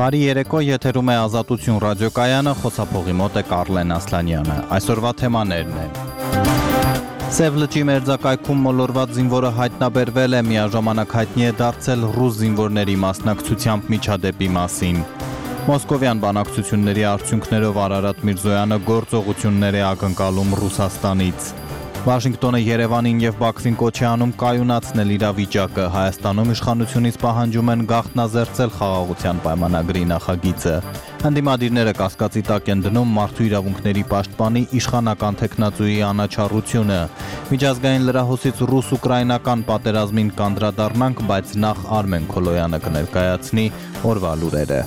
Բարի երեկո, եթերում է Ազատություն ռադիոկայանը, խոսափողի մոտ է Կարլեն Ասլանյանը։ Այսօրվա թեմաներն են. Սև լճի մերձակայքում մոլորված զինվորը հայտնաբերվել է, միաժամանակ հայտնի է դարձել ռուս զինվորների մասնակցությամբ միջադեպի մասին։ Մոսկովյան բանակցությունների արդյունքներով Արարատ Միրզոյանը գործողություններ է ակնկալում Ռուսաստանից։ Վաշինգտոնը Երևանին եւ Բաքվին կոչ է անում կայունացնել իրավիճակը, Հայաստանում իշխանությունից պահանջում են գաղտնազերծել խաղաղության պայմանագրի նախագիծը։ Հանդիմադիրները կասկածի տակ են դնում մարդու իրավունքների պաշտպանի իշխանական տեխնացուի անաչառությունը։ Միջազգային լրահոսից ռուս-ուկրաինական պատերազմին կանդրադառնանք, բայց նախ Արմեն Քոլոյանը կներկայացնի օրվա լուրերը։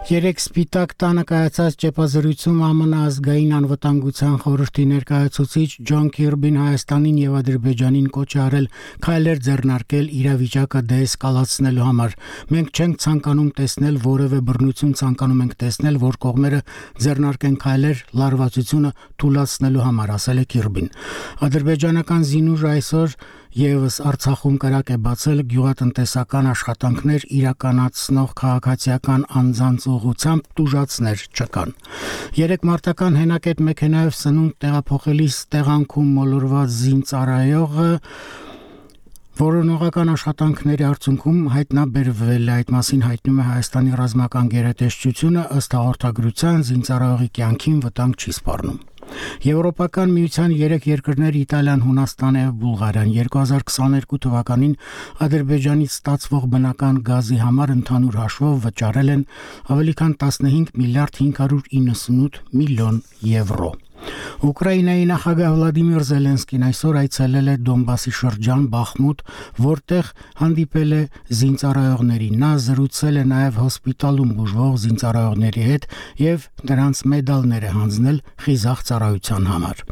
Երեք Սպիտակ տանը կայացած ճեպազրույցում ԱՄՆ ազգային անվտանգության խորհրդի ներկայացուցիչ Ջոն Քիրբին Հայաստանին եւ Ադրբեջանին կոչ է արել քայլեր ձեռնարկել իրավիճակը դեէսկալացնելու համար։ Մենք չենք ցանկանում տեսնել որևէ բռնություն, ցանկանում ենք տեսնել, որ կողմերը ձեռնարկեն քայլեր լարվածությունը թույլատնելու համար, ասել է Քիրբին։ Ադրբեջանական զինուժը այսօր Եվս Արցախում կրակ է բացել գյուղատնտեսական աշխատանքներ իրականացնող քաղաքացիական անձանց ուղղությամբ տուժածներ չկան։ Երեք մարտական հենակետ մեքենայով սնունդ տեղափոխելիս տեղանքում մոլորված զինծառայողը որոնողական աշխատանքների արդյունքում հայտնաբերվել է, այդ մասին հայտնում է Հայաստանի ռազմական գերատեսչությունը, ըստ հաղորդագրության զինծառայողի կյանքին վտանգ չի սպառնում։ Եվրոպական միության 3 երկրներ Իտալիան, Հունաստանը եւ Բուլղարիան 2022 թվականին Ադրբեջանից ստացվող բնական գազի համար ընդհանուր հաշվով վճարել են ավելի քան 15 միլիարդ 598 միլիոն եվրո։ Ուկրաինայի նախագահ Վլադիմիր Զելենսկին այսօր այցելել է Դոնբասի շրջան Բախմուտ, որտեղ հանդիպել է զինծառայողների։ Նա զրուցել է նաև հոսպիտալում բուժվող զինծառայողների հետ եւ նրանց մեդալներ է հանձնել խիզախ ծառայության համար։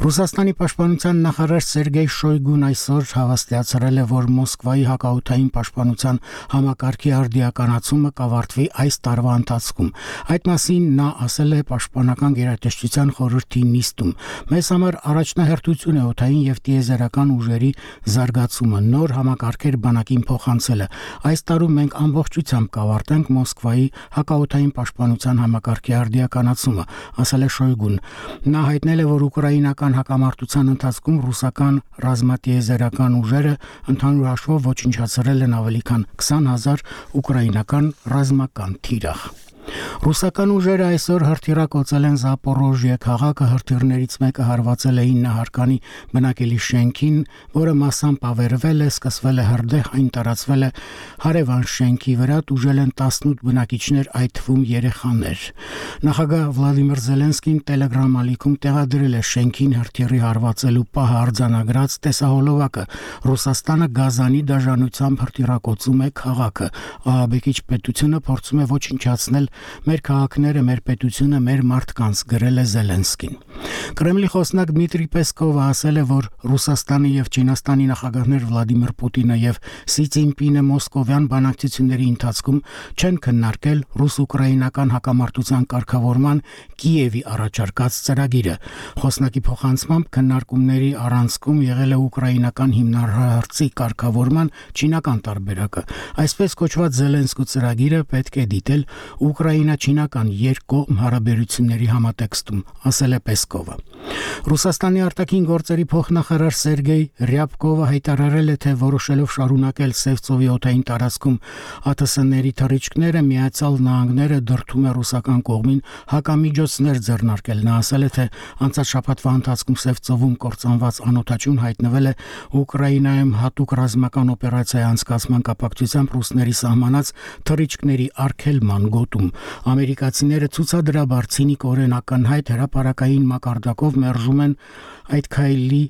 Ռուսաստանի պաշտպանության նախարար Սերգեյ Շոյգուն այսօր հավաստիացրել է, որ Մոսկվայի հակաօդային պաշտպանության համակարգի արդիականացումը կավարտվի այս տարվա ընթացքում։ Այդ մասին նա ասել է պաշտպանական գերատեսչության խորհրդի նիստում։ Մեզ համար առաջնահերթություն է օդային եւ տիեզերական ուժերի զարգացումը, նոր համակարգեր բանակին փոխանցելը։ Այս տարում մենք ամբողջությամբ կավարտենք Մոսկվայի հակաօդային պաշտպանության համակարգի արդիականացումը, ասել է Շոյգուն։ Նա հայտնել է, որ ուկրաինական հակամարտության ընթացքում ռուսական ռազմատիեզերական ուժերը ընդհանուր հաշվով ոչնչացրել են ավելի քան 20,000 ուկրաինական ռազմական թիրախ։ Ռուսական ուժերը այսօր հրթիռակոծել են Զապորոժիե քաղաքը, հրթիռներից մեկը հարվածել է 9 հարկանի բնակելի շենքին, որը մասամբ ավերվել է, սկսվել է հրդեհ, այն տարածվել է հարևան շենքի վրա, տուժել են 18 բնակիչներ, այդ թվում երեխաներ։ Նախագահ Վլադիմիր Զելենսկին Telegram ալիքում տեղադրել է շենքին հրթիռի հարվածելու պահը արձանագրած տեսահոլովակը։ Ռուսաստանը գազանի դաժանությամբ հրթիռակոծում է քաղաքը։ Ահաբեկիչ պետությունը փորձում է ոչնչացնել մեր քաղաքները, մեր պետությունը, մեր մարդկանց, գրել է Զելենսկին։ Կրեմլի խոսնակ Դմիտրի Պեսկովը ասել է, որ Ռուսաստանի եւ Չինաստանի նախագահներ Վլադիմիր Պուտինը եւ Սի Ցինպինը մոսկովյան բանակցությունների ընթացքում չեն քննարկել ռուս-ուկրաինական հակամարտության կարգավորման Կիևի առաջարկած ծրագիրը։ Խոսնակի փոխանցմամբ քննարկումների առանցքում եղել է ուկրաինական հիմնահարցի կարգավորման չինական տարբերակը։ Այսպես կոչված Զելենսկու ծրագիրը պետք է դիտել ուկրաինա-չինական երկկողմ հարաբերությունների համատեքստում, ասել է Պեսկովը։ Ռուսաստանի արտաքին գործերի փոխնախարար Սերգեյ Ռյաբկովը հայտարարել է, թե որոշելով շարունակել Սև ծովի օդային տարածքում ԱԹՍ-ների թռիչքները, Միացյալ Նահանգները դրդում է ռուսական կողմին հակամիջոցներ ձեռնարկել։ Նա ասել է, թե անցած շաբաթվա ընթացքում Սև ծովում կործանված անօդաչուն հայտնվել է Ուկրաինայում հատուկ ռազմական օպերացիայի անցկացման կապակցությամբ ռուսների սահմանած թռիչքների արգելման գոտում։ Ամերիկացիները ցուցադրաբար ցինիկորեն ակնհայտ հրապարակային մակարդակով մերժում են այդ քայլի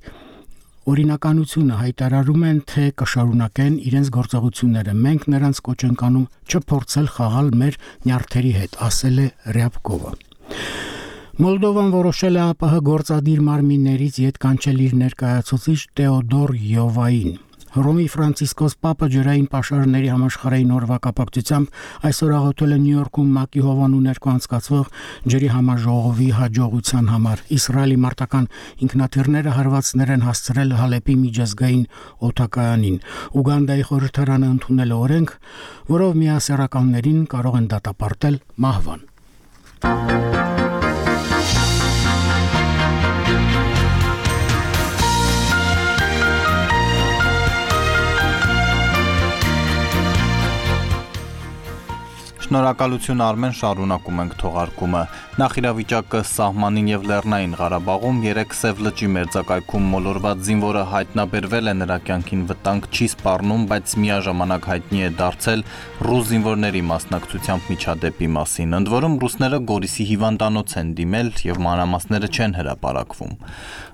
օրինականությունը, հայտարարում են, թե կշարունակեն իրենց գործողությունները։ Մենք նրանց կոչ ենք անում չփորձել խաղալ մեր նյարդերի հետ, ասել է Ռյաբկովը։ Մոլդովան որոշել է ԱՊՀ գործադիր մարմիններից ետ կանչել իր ներկայացուցիչ Տեոդոր Յովային։ Հռոմի Ֆրանցիսկոս Պապը ջրային պաշարների համաշխարհային օրվա կապակցությամբ այսօր աղոթել է Նյու Յորքում ՄԱԿ-ի հովանու ներկայ անցկացվող ջրի համաժողովի հաջողության համար։ Իսրայելի մարտական ինքնաթիռները հարվածներ են հասցրել Հալեպի միջազգային օդակայանին։ Ուգանդայի խորհրդարանը ընդունել է օրենք, որով միասեռականներին կարող են դատապարտել մահվան։ Շնորհակալություն Արմեն, շարունակում ենք թողարկումը։ Նախիրավիճակը սահմանին եւ Լեռնային Ղարաբաղում 3 Սև լճի մերձակայքում մոլորված զինվորը հայտնաբերվել է, նրա կյանքին վտանգ չի սպառնում, բայց միաժամանակ հայտնի է դարձել ռուս զինվորների մասնակցությամբ միջադեպի մասին։ Ընդ որում ռուսները Գորիսի հիվանդանոց են դիմել եւ մանրամասները չեն հրապարակվում։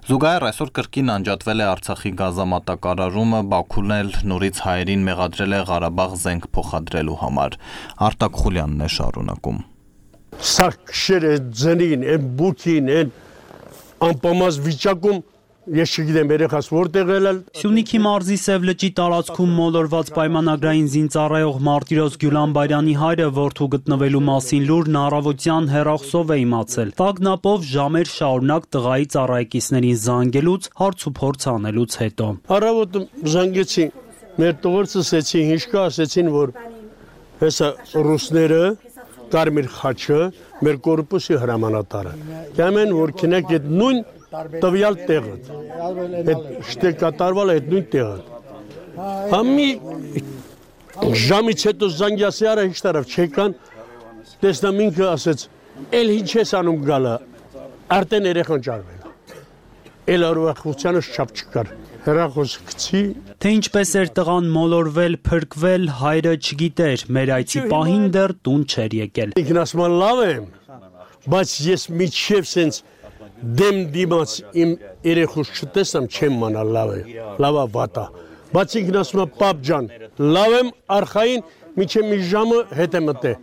Զուգահեռ այսօր կրկին անջատվել է Արցախի գազամատակարարումը, Բաքուն էլ նորից հայերին մեղադրել է Ղարաբաղ զենք փոխադրելու համար։ Արտակ Խուլյանն է շարունակում։ Սա քշերը ձնին, այն բուքին, այն անպամած վիճակում ես չգիտեմ երեխաս որտեղ էլ Սյունիքի մարզի Սև լճի տարածքում մոլորված պայմանագրային զինծառայող Մարտիրոս Գյուլանբարյանի հայրը որդու գտնվելու մասին լուրն առավոտյան հեռախոսով է իմացել։ Տագնապով ժամեր շարունակ տղայի ծառայեկիցներին զանգելուց, հարց ու փորձ անելուց հետո։ Առավոտը զանգեցին, մեր տղորցը ասեցին, հիշկա ասեցին, որ հեսա ռուսները Կարմիր խաչը մեր կորպուսի հրամանատարը։ Կամեն որ քնեք այդ նույն տվյալ տեղը։ Այդ շտե կատարվել այդ նույն տեղը։ Համի ժամից հետո զանգյասիարը հիշտարավ չեկան, տեսնամ ինքը ասեց, էլ ինչ ես անում գալը, արդեն երեխան ճարվել։ Էլ արվախությանը շապ չկար։ Հեռախոսը գցի։ Թե ինչպես էր տղան մոլորվել, փրկվել, հայրը չգիտեր, մեր այցի պահին դեռ տուն չէր եկել։ Ինքն ասում է լավ եմ, բայց ես միջև սենց դեմ դիմաց իմ երեխուս չտեսամ չեմ մանալ լավա վատա։ Բայց ինքն ասում է պապ ջան, լավ եմ արխային միջև մի ժամը հետ եմ մտե։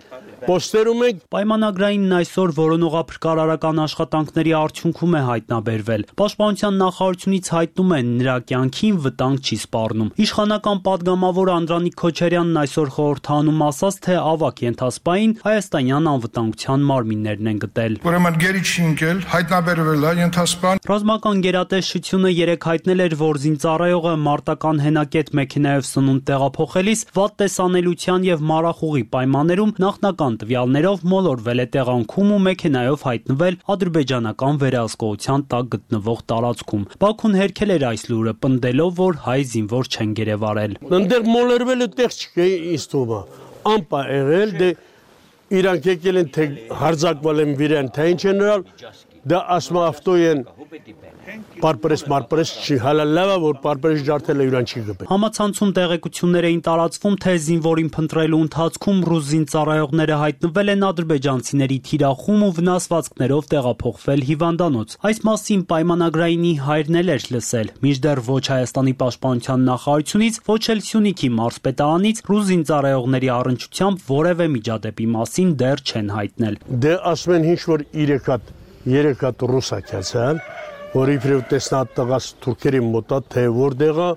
Պոստերում ենք պայմանագրայինն այսօր որոնողափրկարարական աշխատանքների արդյունքում է հայտնաբերվել։ Պաշտպանության նախարարությունից հայտնում են նրա կյանքին վտանգ չի սպառնում։ Իշխանական падգամավոր Անդրանիկ Քոչարյանն այսօր խորհրդանում ասաց, թե ավագ ենթասպային հայաստանյան անվտանգության մարմիններն են գտել։ Ուրեմն գերի չի ընկել, հայտնաբերվել է ենթասպան։ Ռազմական գերատեսչությունը երեք հայտնել էր, որ զինծառայողը մարտական հենակետ մեքենայով սնունդ տեղափոխելիս վատ տեսանելիության եւ մարախուղի պայմաններում նախնական տվյալներով մոլորվել է տեղանքում ու մեքենայով հայտնվել ադրբեջանական վերահսկողության տակ գտնվող տարածքում։ Բաքուն հերքել էր այս լուրը, պնդելով, որ հայ զինվոր չեն գերեվարել։ Ընդեղ մոլորվել է տեղ չկա իստումա։ Ամպա եղել դե իրանք եկել են թե հարձակվել են վիրան, թե ինչ են նրալ, դա ասում ավտոյեն Պարպրես չի հալա լավա, որ պարպրես ջարդել է յուրան չի գպել։ Համացանցում տեղեկություններ էին տարածվում, թե զինվորին փնտրելու ընթացքում ռուս զինծառայողները հայտնվել են ադրբեջանցիների թիրախում ու վնասվածքներով տեղափոխվել հիվանդանոց։ Այս մասին պայմանագրայինի հայրն էլ էր լսել, մինչդեռ ոչ Հայաստանի պաշտպանության նախարարությունից, ոչ էլ Սյունիքի մարզպետարանից ռուս զինծառայողների առնչությամբ որևէ միջադեպի մասին դեռ չեն հայտնել։ Դե ասում են ինչ որ 3 հատ ռուսակացան որ իբրև տեսնատ տղաս թուրքերի մոտա թե որտեղը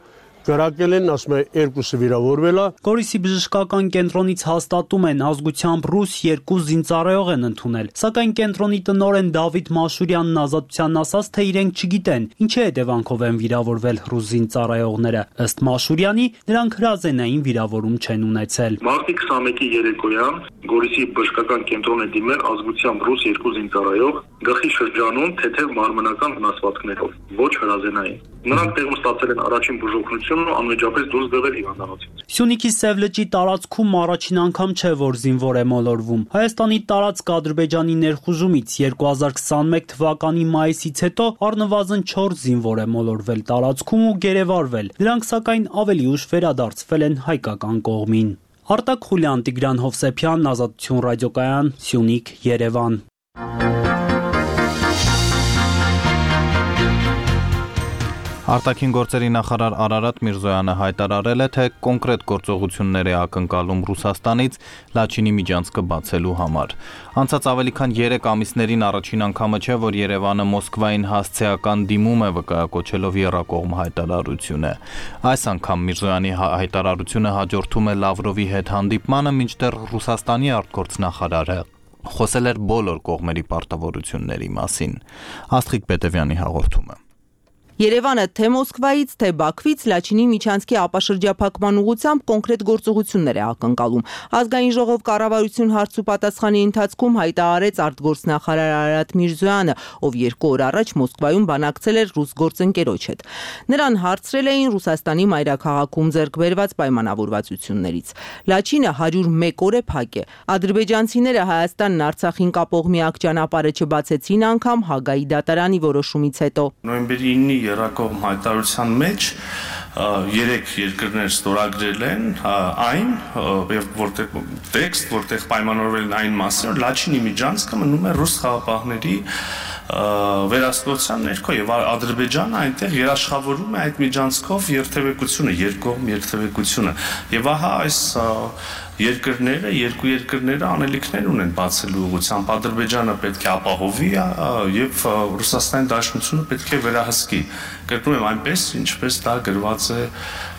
կրակել են, ասում է երկուսը վիրավորվել է։ Գորիսի բժշկական կենտրոնից հաստատում են ազգությամբ ռուս 2 զինծառայող են ընդունել, սակայն կենտրոնի տնօրեն Դավիթ Մաշուրյանն Ազատությանն ասաց, թե իրենք չգիտեն ինչի հետևանքով են վիրավորվել ռուս զինծառայողները։ Ըստ Մաշուրյանի, նրանք հրազենային վիրավորում չեն ունեցել։ Մարտի 21-ի երեկոյան Գորիսի բժշկական կենտրոն է դիմել ազգությամբ ռուս 2 զինծառայող գլխի շրջանում թեթև մարմնական վնասվածքներով, ոչ հրազենային։ Նրանք տեղում ստացել են առաջին բուժօգնությունն ու անմիջապես դուրս բերվել հիվանդանոցից։ Սյունիքի Սև լճի տարածքում առաջին անգամ չէ, որ զինվոր է մոլորվում։ Հայաստանի տարածք Ադրբեջանի ներխուժումից 2021 թվականի մայիսից հետո առնվազն 4 զինվոր է մոլորվել տարածքում ու գերեվարվել։ Դրանք սակայն ավելի ուշ վերադարձվել են հայկական կողմին։ Արտակ Խուլյան, Տիգրան Հովսեփյան, Ազատություն ռադիոկայան, Սյունիք, Երևան։ Արտաքին գործերի նախարար Արարատ Միրզոյանը հայտարարել է, թե կոնկրետ գործողություններ է ակնկալում Ռուսաստանից Լաչինի միջանցքը բացելու համար։ Անցած ավելի քան 3 ամիսներին առաջին անգամը չէ, որ Երևանը Մոսկվային հասցեական դիմում է վկայակոչելով եռակողմ հայտարարություն է։ Այս անգամ Միրզոյանի հայտարարությունը հաջորդում է Լավրովի հետ հանդիպմանը, մինչդեռ Ռուսաստանի արտգործնախարարը խոսել էր բոլոր կողմերի պարտավորությունների մասին։ Աստղիկ Պետևյանի հաղորդումը։ Երևանը թե Մոսկվայից, թե Բաքվից Լաչինի միջանցքի ապաշրջափակման ուղղությամբ կոնկրետ գործողություններ է ակնկալում։ Ազգային ժողով կառավարություն հարց ու պատասխանի ընթացքում հայտարարեց արտգործնախարար Արարատ Միրզոյանը, ով 2 օր առաջ Մոսկվայում բանակցել էր ռուս գործընկերոջ հետ։ Նրան հարցրել էին Ռուսաստանի մայրաքաղաքում ձեռք բերված պայմանավորվածություններից։ Լաչինը 101 օր է փակ է։ Ադրբեջանցիները Հայաստանն Արցախին կապող միակ ճանապարհը չբացեցին անգամ Հագայի դատարանի որոշումից հետո։ Նոյեմբերի 9-ի եռակողմ հայտարարության մեջ 3 երկրներ ստորագրել են այն որտեղ պայմանավորվել են այն մասին, որ Լաչինի միջանցքը մնում է ռուս խաղաղապահների վերահսկողության ներքո եւ Ադրբեջանը այնտեղ երաշխավորում է այդ միջանցքով երթևեկությունը, երկկողմ երթևեկությունը եւ ահա այս երկրները, երկու երկրները անելիքներ ունեն բացելու ուղղությամբ Ադրբեջանը պետք է ապահովի եւ Ռուսաստանի Դաշնությունը պետք է վերահսկի։ Կրկնում եմ այնպես, ինչպես դա գրված է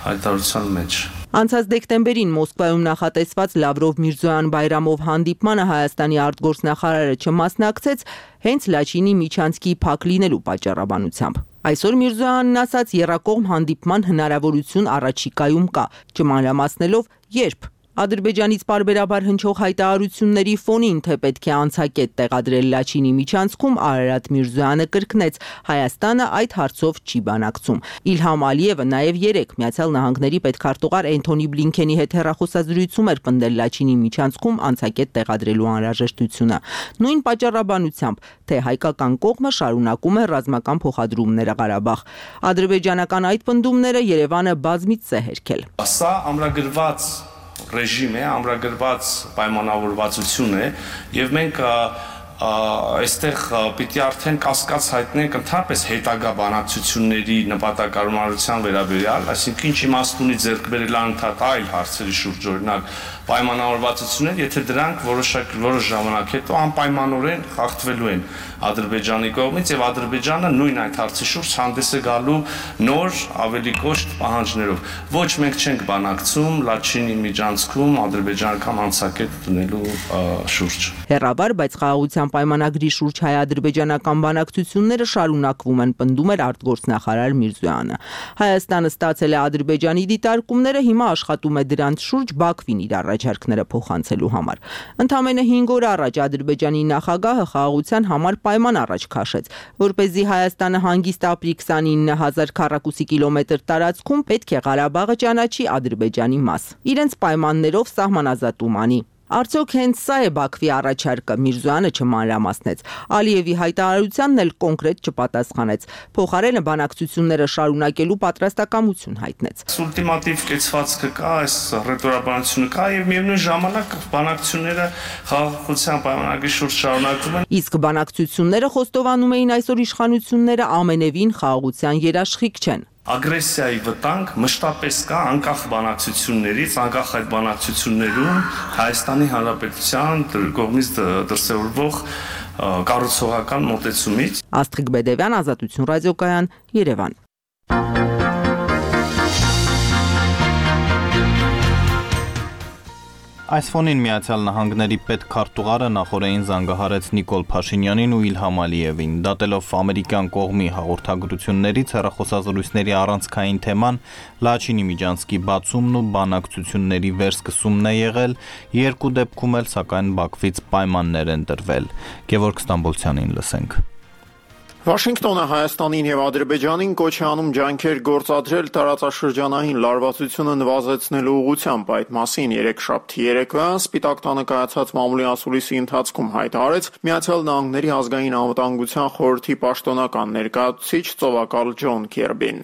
հայտարարության մեջ։ Անցած դեկտեմբերին Մոսկվայում նախատեսված Լավրով-Միրզոյան Բայրամով հանդիպմանը Հայաստանի արտգործնախարարը չմասնակցեց հենց Լաչինի միջանցքի փակ լինելու պատճառաբանությամբ։ Այսօր Միրզոյանն ասաց եռակողմ հանդիպման հնարավորություն առաջիկայում կա, չմանրամասնելով երբ։ Ադրբեջանից պարբերաբար հնչող հայտարարությունների ֆոնին, թե պետք է անցակետ տեղադրել Լաչինի միջանցքում, Արարատ Միրզոյանը կրկնեց, Հայաստանը այդ հարցով չի բանակցում։ Իլհամ Ալիևը նաև 3 Միացյալ Նահանգների պետքարտուղար Էնթոնի Բլինքենի հետ հեռախոսազրույցում էր պնդել Լաչինի միջանցքում անցակետ տեղադրելու անհրաժեշտությունը։ Նույն պատճառաբանությամբ, թե հայկական կողմը շարունակում է ռազմական փոխադրումները Ղարաբաղ։ Ադրբեջանական այդ պնդումները Երևանը բազմիցս է հերքել։ Սա ամրագրված ռեժիմ է, ամրագրված պայմանավորվածություն է եւ մենք այստեղ պիտի արդեն կասկած հայտնենք ընդհանրապես հետագա բանակցությունների նպատակարարության վերաբերյալ, այսինքն ինչ իմաստ ունի ձեռք բերել անընդհատ այլ հարցերի շուրջ, օրինակ պայմանավորվածություններ, եթե դրանք որոշ ժամանակ հետո անպայմանորեն խախտվելու են Ադրբեջանի կողմից եւ Ադրբեջանը նույն այդ հարցի շուրջ հանդես է գալու նոր ավելի կոշտ պահանջներով։ Ոչ մենք չենք բանակցում Լաչինի միջանցքում ադրբեջանական անցակետ դնելու շուրջ։ Հեռավար, բայց խաղաղության պայմանագրի շուրջ հայ-ադրբեջանական բանակցությունները շարունակվում են, պնդում էր արտգործնախարար Միրզոյանը։ Հայաստանը ստացել է Ադրբեջանի դիտարկումները, հիմա աշխատում է դրանց շուրջ Բաքվին իր առաջարկները փոխանցելու համար։ Ընդամենը 5 օր առաջ Ադրբեջանի նախագահը խաղաղության համար պայման առաջ քաշեց, որպեսզի Հայաստանը հանգիստ ապրի 29000 քառակուսի կիլոմետր տարածքում պետք է Ղարաբաղը ճանաչի Ադրբեջանի մաս։ Իրենց պայմաններով սահմանազատում անի։ Արդյոք հենց սա է Բաքվի առաջարկը, Միրզոյանը չմանրամասնեց։ Ալիևի հայտարարությանն էլ կոնկրետ չպատասխանեց։ Փոխարենը բանակցությունները շարունակելու պատրաստակամություն հայտնեց։ Ուլտիմատիվ կեցվածքը կա, այս ռետորաբանությունը կա եւ միևնույն ժամանակ բանակցությունները խաղաղության պայմանագրի շուրջ շարունակվում են։ Իսկ բանակցությունները խոստովանում էին այսօր իշխանությունները ամենևին խաղաղության երաշխիք չեն։ Ագրեսիայի վտանգ մշտապես կա անկախ բանակցություններից, անկախ այդ բանակցություններում Հայաստանի Հանրապետության կողմից դրսևորվող կառուցողական մոտեցումից։ Աստղիկ Բեդևյան, Ազատություն ռադիոկայան, Երևան։ Այս ֆոնին Միացյալ Նահանգների պետքարտուղարը նախորդին զանգահարեց Նիկոլ Փաշինյանին ու Իլհամ Ալիևին, դատելով ամերիկյան կողմի հաղորդագրություններից հեռախոսազրույցների առանցքային թեման Լաչինի միջանցքի բացումն ու բանակցությունների վերսկսումն է եղել, երկու դեպքում էլ սակայն Բաքվից պայմաններ են տրվել։ Գևորգ Ստամբոլցյանին լսենք։ Վաշինգտոնը Հայաստանին եւ Ադրբեջանին կոչ է անում ջանքեր գործադրել տարածաշրջանային լարվածությունը նվազեցնելու ուղղությամբ։ Այդ մասին երեքշաբթի երեկոյան Սպիտակ տանը կայացած մամուլի ասուլիսի ընթացքում հայտարարեց Միացյալ Նահանգների ազգային անվտանգության խորհրդի պաշտոնական ներկայացուցիչ ծովակալ Ջոն Քերբին։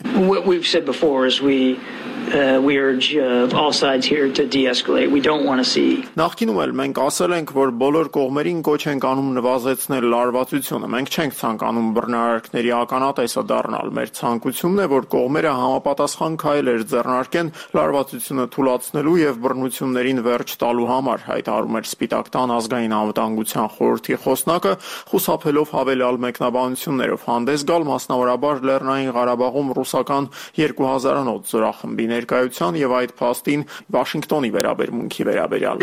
we urge all sides here to de-escalate. We don't want to see. Նախկինում էլ մենք ասել ենք, որ բոլոր կողմերին կոչ ենք անում նվազեցնել լարվածությունը։ Մենք չենք ցանկանում բռնարարքների ականատեսը դառնալ։ Մեր ցանկությունն է, որ կողմերը համապատասխան քայլեր ձեռնարկեն լարվածությունը թույլատնելու եւ բռնություններին վերջ տալու համար, հայտարարում էր Սպիտակ տան ազգային անվտանգության խորհրդի խոսնակը, խուսափելով հավելյալ մեկնաբանություններով հանդես գալ մասնավորաբար Լեռնային Ղարաբաղում ռուսական 2000-անոց զորախմբի ներկայության եւ այդ փաստին Վաշինգտոնի վերաբերմունքի վերաբերյալ։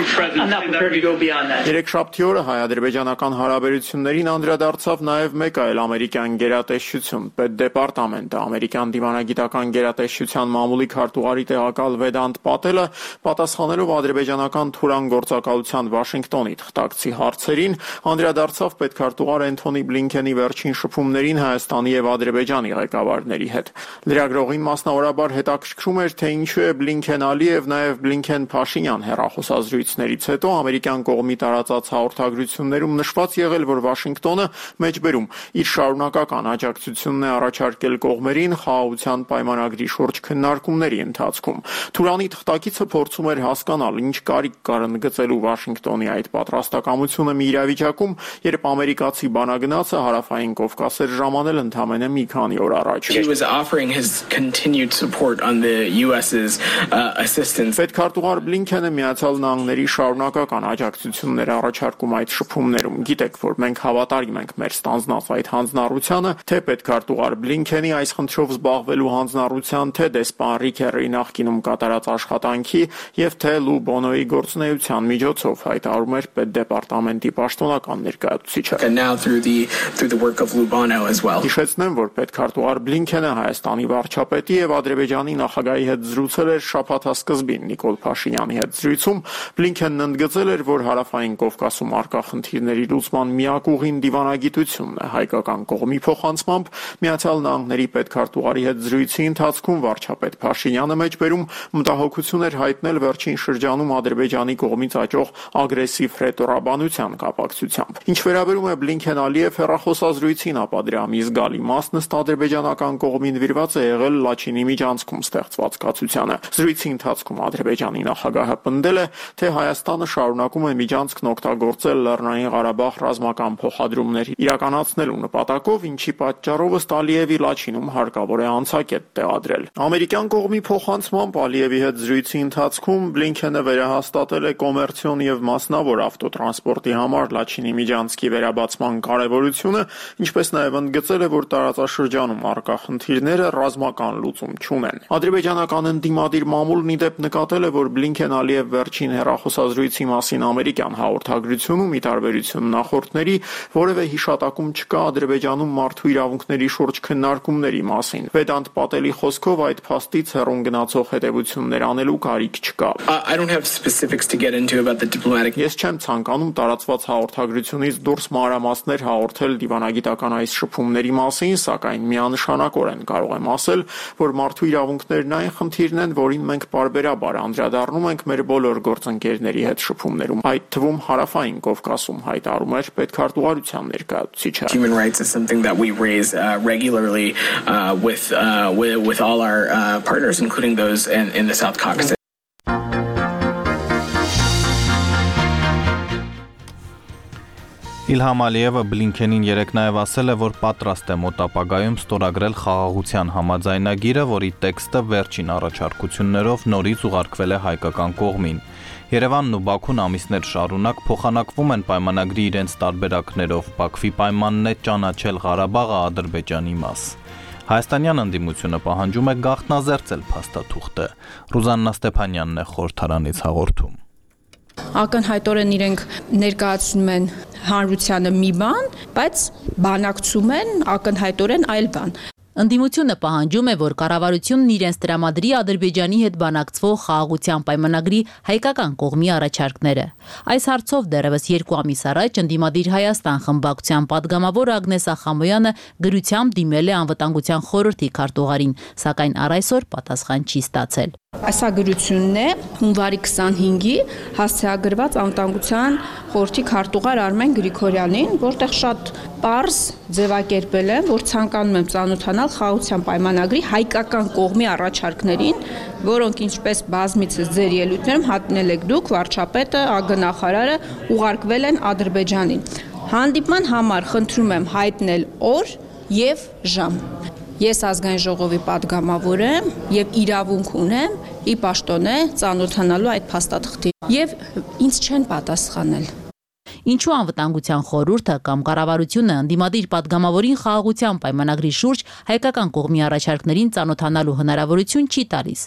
Երեքշաբթի օրը հայ-ադրբեջանական հարաբերություններին անդրադարձավ նաեւ մեկ այլ ամերիկյան գերատեսչություն՝ Պետդեպարտամենտը։ Ամերիկյան դիվանագիտական գերատեսչության մամուլի քարտուղարի տեղակալ Վեդանտ Պատելը պատասխանելով ադրբեջանական թուրան գործակալության Վաշինգտոնի թղթակցի հարցերին անդրադարձավ պետքարտուղար Էնթոնի Բլինքենի վերջին շփումներին Հայաստանի եւ Ադրբեջանի ղեկավարների հետ։ Լրագրողին մասնավորաբար հետաքրքրում էր, թե ինչու է Բլինքեն-Ալիև, նաև Բլինքեն-Փաշինյան հեռախոսազրույցներից հետո ամերիկյան կողմի տարածած հաղորդագրություններում նշված եղել, որ Վաշինգտոնը մեջբերում իր շարունակական աջակցությունն է առաջարկել կողմերին խաղաղության պայմանագրի շուրջ քննարկումների ընթացքում։ Թուրանի թղթակիցը փորձում էր հասկանալ, ինչ կարիք կար ընդգծելու Վաշինգտոնի այդ պատրաստակամությունը մի իրավիճակում, երբ ամերիկացի բանագնացը հարավային Կովկաս էր ժամանել ընդամենը մի քանի օր առաջ։ Պետքարտուղար Բլինքենը Միացյալ Նահանգների շարունակական աջակցություններ առաջարկում այդ շփումներում։ Գիտեք, որ մենք հավատարիմ ենք մեր ստանձնած այդ հանձնառությանը, թե պետքարտուղար Բլինքենի այս խնդրով զբաղվելու հանձնառության, թե դեսպան Ռիքերի նախկինում կատարած աշխատանքի եւ թե Լու Բոնոյի գործունեության միջոցով, հայտարարում էր Պետդեպարտամենտի պաշտոնական ներկայացուցիչը։ Հիշեցնեմ, որ պետքարտուղար Բլինքենը Հայաստանի վարչապետի եւ Ադրբեջանի նախագահի հետ զրուցել էր շաբաթասկզբին Նիկոլ Փաշինյանի հետ զրույցում։ Բլինքենն ընդգծել էր, որ հարավային Կովկասում առկա խնդիրների լուծման միակ ուղին դիվանագիտությունն է։ Հայկական կողմի փոխանցմամբ Միացյալ Նահանգների պետքարտուղարի հետ զրույցի ընթացքում վարչապետ Փաշինյանը մեջբերում մտահոգություն էր հայտնել վերջին շրջանում Ադրբեջանի կողմից աճող ագրեսիվ հռետորաբանության կապակցությամբ։ Ինչ վերաբերում է Բլինքեն-Ալիև հեռախոսազրույցին, ապա դրա մի զգալի մասն ըստ ադրբեջանական կողմին նվիրված է եղել Լաչինի միջանցքում ստեղծված կացությանը։ Զրույցի ընթացքում Ադրբեջանի նախագահը պնդել է, թե Հայաստանը շարունակում է միջանցքն օգտագործել Լեռնային Ղարաբաղ ռազմական փոխադրումներ իրականացնելու նպատակով, ինչի պատճառով ըստ Ալիևի Լաչինում հարկավոր է անցակետ տեղադրել։ Ամերիկյան կողմի փոխանցմամբ Ալիևի հետ զրույցի ընթացքում Բլինքենը վերահաստատել է կոմերցիոն եւ մասնավոր ավտոտրանսպորտի համար Լաչինի միջանցքի վերաբացման կարեւորությունը, ինչպես նաեւ ընդգծել է, որ տարածաշրջանում առկա խնդիրները ռազմական լուծում չունեն։ Ադրբեջանական ընդդիմադիր մամուլն ի դեպ նկատել է, որ Բլինքեն-Ալիև վերջին հեռախոսազրույցի մասին ամերիկյան հաղորդագրությունում ի տարբերություն նախորդների որևէ հիշատակում չկա Ադրբեջանում մարդու իրավունքների շուրջ քննարկումների մասին։ Վեդանտ Պատելի խոսքով այդ փաստից հեռուն գնացող հետևություններ անելու կարիք չկա։ Ես չեմ ցանկանում տարածված հաղորդագրությունից դուրս մանրամասներ հաղորդել դիվանագիտական այս շփումների մասին, սակայն միանշանակորեն կարող եմ ասել, որ մարդու իրավունքներն այն խնդիրն են, որին մենք պարբերաբար անդրադառնում ենք մեր բոլոր գործընկերների հետ շփումներում, այդ թվում հարավային Կովկասում, հայտարարում էր պետքարտուղարության ներկայացուցիչը։ Human rights is something that we raise regularly with all our partners, including those in the South Caucasus. Իլհամ Ալիևը Բլինքենին երեկ նաև ասել է, որ պատրաստ է մոտ ապագայում ստորագրել խաղաղության համաձայնագիրը, որի տեքստը վերջին առաջարկություններով նորից ուղարկվել է հայկական կողմին։ Երևանն ու Բաքուն ամիսներ շարունակ փոխանակվում են պայմանագրի իրենց տարբերակներով, Բաքվի պայմանն է ճանաչել Ղարաբաղը Ադրբեջանի մաս։ Հայաստանյան ընդդիմությունը պահանջում է գաղտնազերծել փաստաթուղթը։ Ռուզաննա Ստեփանյանն է խորհրդարանից հաղորդում։ Ակնհայտորեն իրենք ներկայացնում են հանրությանը մի բան, բայց բանակցում են ակնհայտորեն այլ բան։ Ընդդիմությունը պահանջում է, որ կառավարությունն իրենց տրամադրի Ադրբեջանի հետ բանակցվող խաղաղության պայմանագրի հայկական կողմի առաջարկները։ Այս հարցով դեռևս 2 ամիս առաջ ընդդիմադիր Հայաստան խմբակցության падգամավոր Ագնես Ախամոյանը գրությամբ դիմել է անվտանգության խորհրդի քարտուղարին, սակայն առ այսօր պատասխան չի ստացել։ Ասագրությունն է հունվարի 25-ի հասցեագրված անվտանգության խորհրդի քարտուղար Արմեն Գրիգորյանին, որտեղ շատ պարզ ձևակերպել եմ, որ ցանկանում եմ ծանոթանալ խաղաղության պայմանագրի հայկական կողմի առաջարկներին, որոնք ինչպես բազմիցս ձեր ելույթներում հատնել եք դուք, վարչապետը, ԱԳ նախարարը ուղարկվել են Ադրբեջանին։ Հանդիպման համար խնդրում եմ հայտնել օր եւ ժամ։ Ես ազգային ժողովի падգամավոր եմ եւ իրավունք ունեմ ի պաշտոնե ծանոթանալու այդ փաստաթղթի եւ ինձ չեն պատասխանել։ Ինչու անվտանգության խորհուրդը կամ կառավարությունը ընդդիմադիր падգամավորին խաղաղության պայմանագրի շուրջ հայկական կողմի առաջարկներին ծանոթանալու հնարավորություն չի տալիս։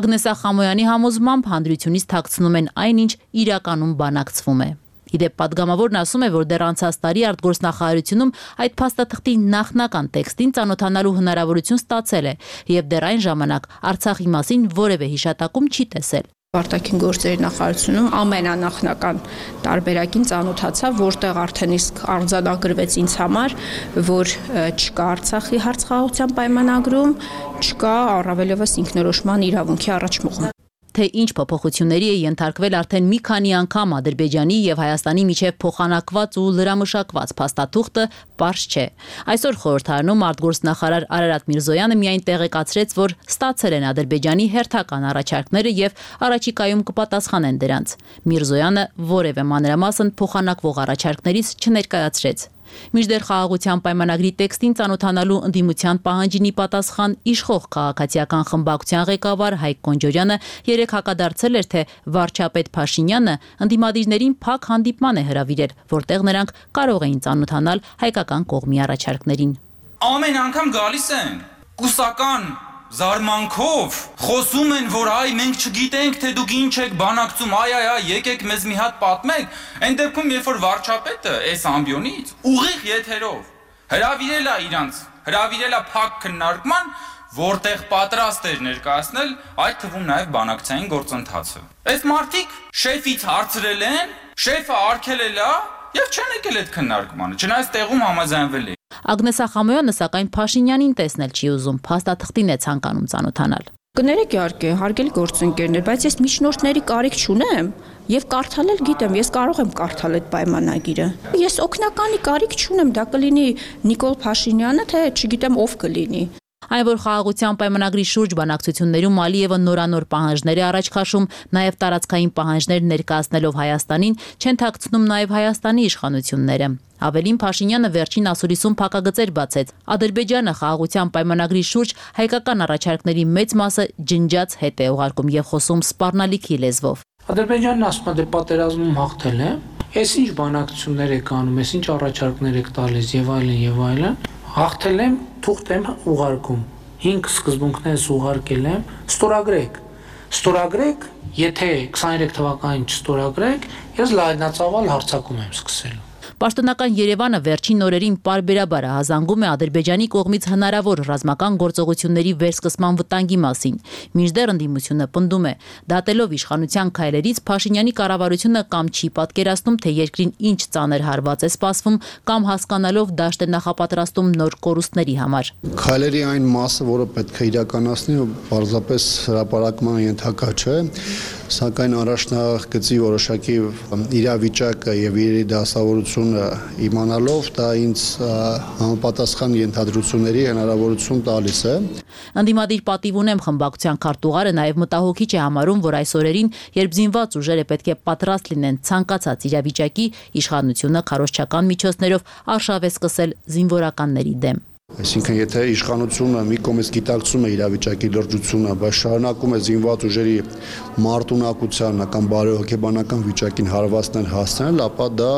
Ագնեսա Խամոյանի համոզմամբ հանդրությունից թաքցնում են այնինչ իրականում բանակցվում է։ Իդեպ падգամավորն ասում է, որ դեռ անցած տարի արտգործնախարարությունում այդ փաստաթղթի նախնական տեքստին ծանոթանալու հնարավորություն ստացել է եւ դեռ այն ժամանակ Արցախի մասին որևէ հիշատակում չի տեսել։ Արտաքին գործերի նախարարությունում ամենանախնական տարբերակին ծանոթացա, որտեղ արդեն իսկ արձանագրվեց ինձ համար, որ չկա Արցախի հարց խաղաղության պայմանագրում, չկա առավելևս ինքնորոշման իրավունքի առաջմուխում։ Թե ինչ փոփոխությունների է ենթարկվել արդեն մի քանի անգամ Ադրբեջանի եւ Հայաստանի միջև փոխանակված ու լրամշակված փաստաթուղթը պարզ չէ։ Այսօր խորհրդարանում արտգործնախարար Արարատ Միրզոյանը միայն տեղեկացրեց, որ ստացել են Ադրբեջանի հերթական առաջարկները եւ առաջիկայում կպատասխանեն դրանց։ Միրզոյանը որևէ մանրամասն փոխանակվող առաջարկներից չներկայացրեց։ Մինչդեռ խաղաղության պայմանագրի տեքստին ծանոթանալու ընդդիմության պահանջինի պատասխան իշխող քաղաքացիական խմբակցության ղեկավար Հայկ Կոնջորյանը երեկ հակադարձել էր, թե վարչապետ Փաշինյանը ընդդիմադիրներին փակ հանդիպման է հրավիրել, որտեղ նրանք կարող էին ծանոթանալ հայկական կողմի առաջարկներին։ Ամեն անգամ գալիս են կուսական զարմանքով խոսում են, որ այ մենք չգիտենք, թե դուք ինչ եք բանակցում, եկեք մեզ մի հատ պատմեք։ Այն դեպքում, երբ որ վարչապետը այս ամբիոնից ուղիղ եթերով հրավիրել է փակ քննարկման, որտեղ պատրաստ էր ներկայացնել այդ թվում նաև բանակցային գործընթացը։ Այս մարդիկ շեֆից հարցրել են, շեֆը արգելել է եւ չեն եկել այդ քննարկմանը, չնայած տեղում համաձայնվել է։ Ագնեսա Խամոյանը սակայն Փաշինյանին տեսնել չի ուզում, փաստաթղթին է ցանկանում ծանոթանալ։ Կներեք իհարկե, հարգելի գործընկերներ, բայց ես միջնորդների կարիք չունեմ եւ կարդալ էլ գիտեմ, ես կարող եմ կարդալ այդ պայմանագիրը։ Ես օգնականի կարիք չունեմ, դա կլինի Նիկոլ Փաշինյանը, թե չգիտեմ ով կլինի։ Այն, որ խաղաղության պայմանագրի շուրջ բանակցություններում Ալիևը նորանոր պահանջներ է առաջ քաշում, նաև տարածքային պահանջներ ներկայացնելով Հայաստանին, չեն թաքցնում նաև Հայաստանի իշխանությունները։ Ավելին Փաշինյանը վերջին ասուլիսում փակագծեր բացեց։ Ադրբեջանը խաղաղության պայմանագրի շուրջ հայկական առաջարկների մեծ մասը ջնջած հետ է ուղարկում եւ խոսում սպառնալիքի լեզվով։ Ադրբեջանն ասում է, դե պատերազմում հաղթել է, այս ինչ բանակցություններ եք անում, այս ինչ առաջարկներ եք տալիս եւ այլն, հաղթել եմ, թուղթ եմ ուղարկում, 5 սկզբունքներս ուղարկել եմ, ստորագրեք, եթե 23 թվականին չստորագրեք, ես լայնածավալ հարձակում եմ սկսել։ Պաշտոնական Երևանը վերջին օրերին պարբերաբար հազանգում է Ադրբեջանի կողմից հնարավոր ռազմական գործողությունների վերսկսման վտանգի մասին։ Մինչդեռ ընդդիմությունը պնդում է, դատելով իշխանության քայլերից Փաշինյանի կառավարությունը կամ չի պատկերացնում, թե երկրին ինչ ծանր հարված է սպասվում, կամ հասկանալով դաշտ է նախապատրաստում նոր կորուստների համար։ Քայլերի այն մասը, որը պետք է իրականացնի, պարզապես հրապարակման ենթակա չէ, սակայն առաջնագծի որոշակի իրավիճակը եւ իր դասավորությունը իմանալով դա ինձ համապատասխան ենթադրությունների հնարավորություն տալիս է։ Ընդդիմադիր պատիվ ունեմ խմբակցության քարտուղարը նաև մտահոգիչ է համարում, որ այս օրերին, երբ զինված ուժերը պետք է պատրաստ լինեն ցանկացած իրավիճակի, իշխանությունը քարոզչական միջոցներով արշավ է սկսել զինվորականների դեմ։ Այսինքն, եթե իշխանությունը մի կողմից գիտակցում է իրավիճակի լրջությունը, բայց շարունակում է զինված ուժերի մարտունակության կամ բարոյհոգեբանական վիճակին հարվածներ հասցնել, ապա դա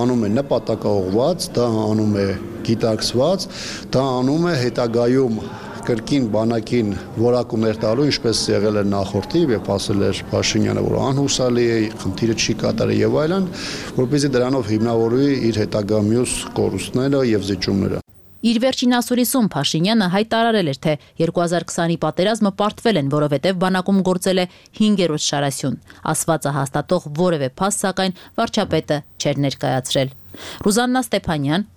անում է նպատակաուղղված, դա անում է գիտակցված, դա անում է հետագայում կրկին բանակին որակումներ տալու, ինչպես եղել է նախորդի, երբ ասել էր Փաշինյանը, որ անհուսալի է, խնդիրը չի կատարել եւ այլն, որպեսզի դրանով հիմնավորվի իր հետագա մյուս կորուստները եւ զիջումները։ Իր վերջին ասուլիսում Փաշինյանը հայտարարել էր, թե 2020-ի պատերազմը պարտվել են, որովհետև բանակում գործել է 5-րդ շարասյուն։ Ասվածը հաստատող որևէ փաստ, սակայն վարչապետը չէր ներկայացրել։ Ռուզաննա Ստեփանյան,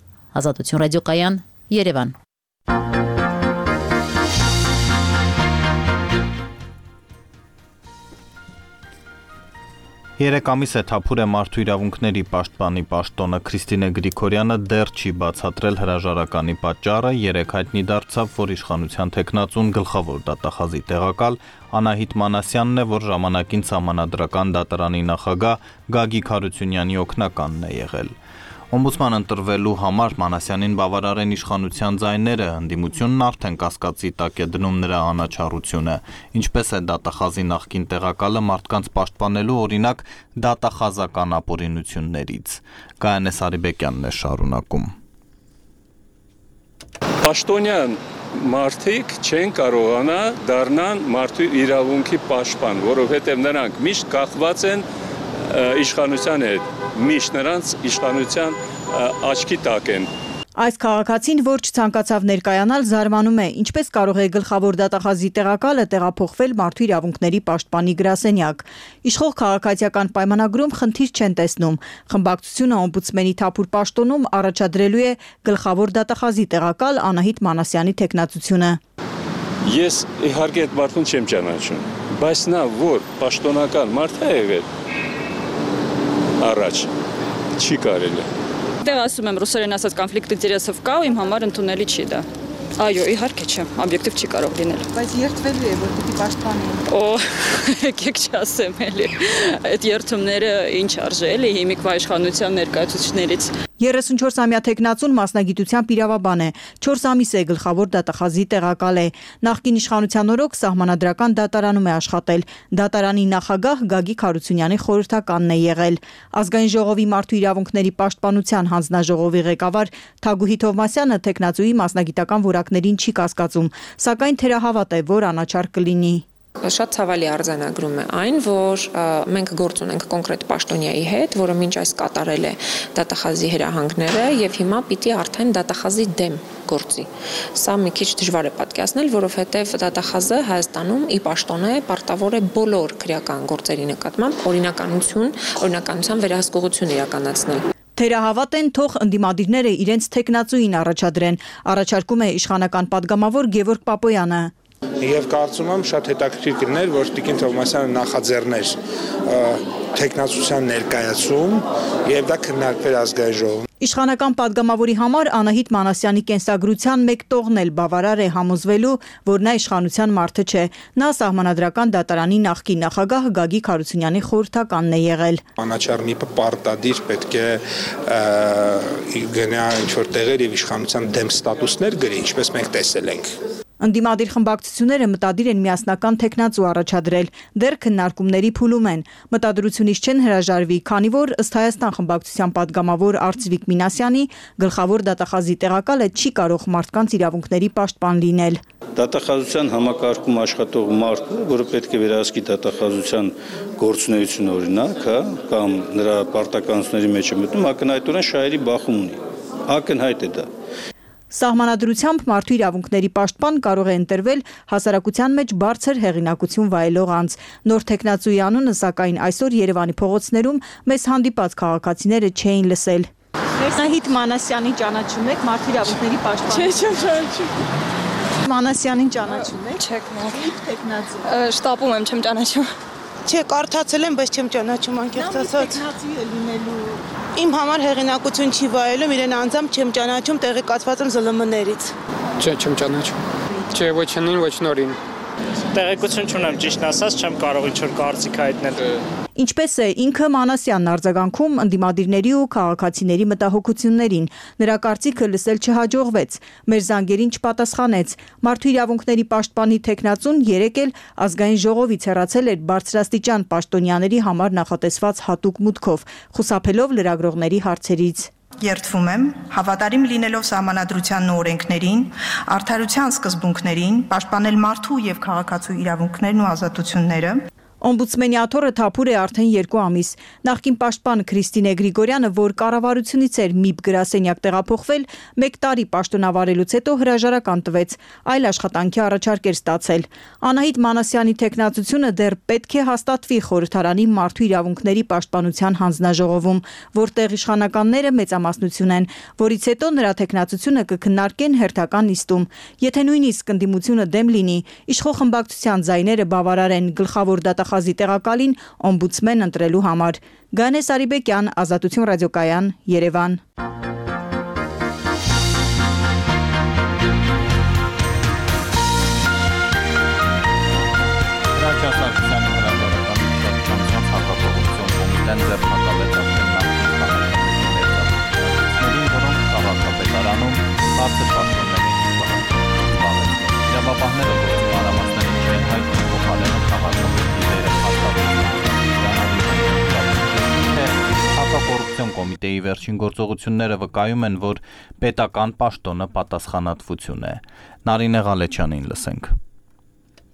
Ազատություն ռադիոկայան, Երևան։ 3 ամիս է Թափուր է մարդու իրավունքների պաշտպանի պաշտոնը Քրիստինե Գրիգորյանը դեռ չի բացատրել հրաժարականի պատճառը, 3 հայտնի դարձավ, որ իշխանության թեկնածուն գլխավոր դատախազի տեղակալ Անահիտ Մանասյանն է, որ ժամանակին Սահմանադրական դատարանի նախագահ Գագիկ Հարությունյանի օգնականն է եղել։ Օմբուդսման ընտրվելու համար Մանասյանին բավարար են իշխանության ձայները, ընդդիմությունն արդեն կասկածի տակ է դնում նրա անաչառությունը, ինչպես է դատախազի նախկին տեղակալը մարդկանց պաշտպանելու օրինակ դատախազական ապօրինություններից։ Գայանե Սարիբեկյանն է շարունակում։ Պաշտոնյան մարդիկ չեն կարողանա դառնան մարդու իրավունքի պաշտպան, որովհետև նրանք միշտ կախված են իշխանության հետ, միշտ նրանց իշխանության աչքի տակ են։ Այս քաղաքացին, որ չցանկացավ ներկայանալ, զարմանում է, ինչպես կարող է գլխավոր դատախազի տեղակալը տեղափոխվել մարդու իրավունքների պաշտպանի գրասենյակ։ Իշխող քաղաքացիական պայմանագրում խնդիր չեն տեսնում։ Խմբակցությունը օմբուդսմենի Թափուր պաշտոնում առաջադրելու է գլխավոր դատախազի տեղակալ Անահիտ Մանասյանի թեկնածությունը։ Ես իհարկե այդ մարդուն չեմ ճանաչում, բայց նա որ պաշտոնական մարդ է եղել առաջ չի կարելի։ Դեռ ասում եմ ռուսերեն ասած կոնֆլիկտ ինտերեսով կա ու իմ համար ընդունելի չի դա։ Այո, իհարկե չէ, օբյեկտիվ չի կարող լինել։ Բայց երթվելու է, որ պիտի պաշտպանի։ Օ, եկեք չասեմ էլի։ Այդ երթումները ինչ արժե էլի հիմիկվա իշխանության ներկայացուցիչներից։ 34-ամյա թեկնածուն մասնագիտությամբ իրավաբան է, 4 ամիս է գլխավոր դատախազի տեղակալ է։ Նախկին իշխանության օրոք Սահմանադրական դատարանում է աշխատել։ Դատարանի նախագահ Գագիկ Հարությունյանի խորհրդականն է եղել։ Ազգային ժողովի մարդու իրավունքների պաշտպանության հանձնաժողովի ղեկավար Թագուհի Թովմասյանը թեկնածուի մասնագիտական որակներին չի կասկածում, սակայն թերահավատ է, որ անաչառ կլինի։ Շատ ցավալի արձանագրում է այն, որ մենք գործ ունենք կոնկրետ պաշտոնյայի հետ, որը մինչ այս կատարել է դատախազի հրահանգները եւ հիմա պիտի արդեն դատախազի դեմ գործի։ Սա մի քիչ դժվար է պատկերացնել, որովհետեւ դատախազը Հայաստանում ի պաշտոնե պարտավոր է բոլոր քրեական գործերի նկատմամբ օրինականության վերահսկողություն իրականացնել։ Թերահավատ են, թող ընդդիմադիրները իրենց թեկնածուին առաջադրեն, առաջարկում է իշխանական падգամավոր Գևորգ Պապոյանը։ Եվ կարծում եմ շատ հետաքրքիր կլիներ, որ Տիկին Թովմասյանը նախաձեռներ թեկնածության ներկայացում եւ դա քննարկվեր ազգային ժողովում։ Իշխանական падգամավորի համար Անահիտ Մանասյանի կենսագրության մեկ տողն էլ բավարար է համոզվելու, որ նա իշխանության մարդը չէ։ Նա Սահմանադրական դատարանի նախկին նախագահ Գագիկ Հարությունյանի խորհրդականն է եղել։ Անաչառ պարտադիր պետք է գնա ինչ-որ տեղեր եւ իշխանության դեմ ստատուսներ գրի, ինչպես մենք տեսել ենք։ Ընդդիմադիր խմբակցությունները մտադիր են միասնական թեկնածու առաջադրել, դեռ քննարկումների փուլում են։ Մտադրությունից չեն հրաժարվի, քանի որ ըստ Հայաստան խմբակցության падգամավոր Արծվիկ Մինասյանի գլխավոր դատախազի տեղակալը չի կարող մարդկանց իրավունքների պաշտպան լինել։ Դատախազության համակարգում աշխատող մարդը, որը պետք է վերահսկի դատախազության գործունեությունը օրինակ, կամ նրա պարտականությունների մեջ է մտնում, ակնհայտորեն շահերի բախում ունի։ Ակնհայտ է դա։ Սահմանադրությամբ մարդու իրավունքների պաշտպան կարող է ընտրվել հասարակության մեջ բարձր հեղինակություն վայելող անձ։ Նոր թեկնածուի անունը, սակայն այսօր Երևանի փողոցներում մեզ հանդիպած քաղաքացիները չէին լսել։ Անահիտ Մանասյանի ճանաչում եք, մարդու իրավունքների պաշտպան։ Չէ, չեմ ճանաչում։ Մանասյանին ճանաչում եք։ Չեք նոր։ Թեկնածու։ Շտապում եմ, չեմ ճանաչում։ Չէ, կարդացել եմ, բայց չեմ ճանաչում անկեղծ ասած։ Թեկնածու է լինելու։ Իմ համար հեղինակություն չի վայելում, իրեն անձամբ չեմ ճանաչում, տեղեկացված եմ ԶԼՄ-ներից։ Չէ, չեմ ճանաչում։ Չէ, ոչ նին, ոչ նորին։ Տեղեկություն չունեմ, ճիշտ ասած, չեմ կարող ինչ-որ կարծիք հայտնել։ Ինչպես է ինքը Մանասյանն արձագանքում ընդդիմադիրների ու քաղաքացիների մտահոգություններին։ Նրա կարծիքը լսել չհաջողվեց, մեր զանգերին չպատասխանեց։ Մարդու իրավունքների պաշտպանի թեկնածուն երեկ էլ ազգային ժողովից հեռացել էր բարձրաստիճան պաշտոնյաների համար նախատեսված հատուկ մուտքով, խուսափելով լրագրողների հարցերից։ Երդվում եմ, հավատարիմ լինելով Սահմանադրությանն ու օրենքներին, արդարության սկզբունքներին, պաշտպանել մարդու եւ քաղաքացու իրավունքներն ու ազատությունները։ Օմբուդսմենի աթոռը Թափուր է արդեն 2 ամիս։ Նախկին պաշտպան Քրիստինե Գրիգորյանը, որ կառավարությունից էր ՄԻԲ գրասենյակ տեղափոխվել, 1 տարի պաշտոնավարելուց հետո հրաժարական տվեց, այլ աշխատանքի առաջարկ էր ստացել։ Անահիտ Մանասյանի թեկնածությունը դեռ պետք է հաստատվի խորհրդարանի մարդու իրավունքների պաշտպանության հանձնաժողովում, որտեղ իշխանականները մեծամասնություն են, որից հետո նրա թեկնածությունը կքննարկեն հերթական նիստում։ Եթե նույնիսկ ընդդիմությունը դեմ լինի, իշխող խմբակցության ձայները բավարար են գլխավոր դատախազի նախագծի տեղակալին օմբուդսմեն ընտրելու համար։ Գանե Սարիբեկյան, Ազատություն ռադիոկայան, Երևան։ Իրավապահները գործի մանրամասներին չեն հայտնում փոխարենը քաղաքապետի դերը Հակակոռուպցիոն կոմիտեի վերջին գործողությունները վկայում են, որ պետական պաշտոնը պատասխանատվություն է։ Նարինե Ղալեչյանին լսենք։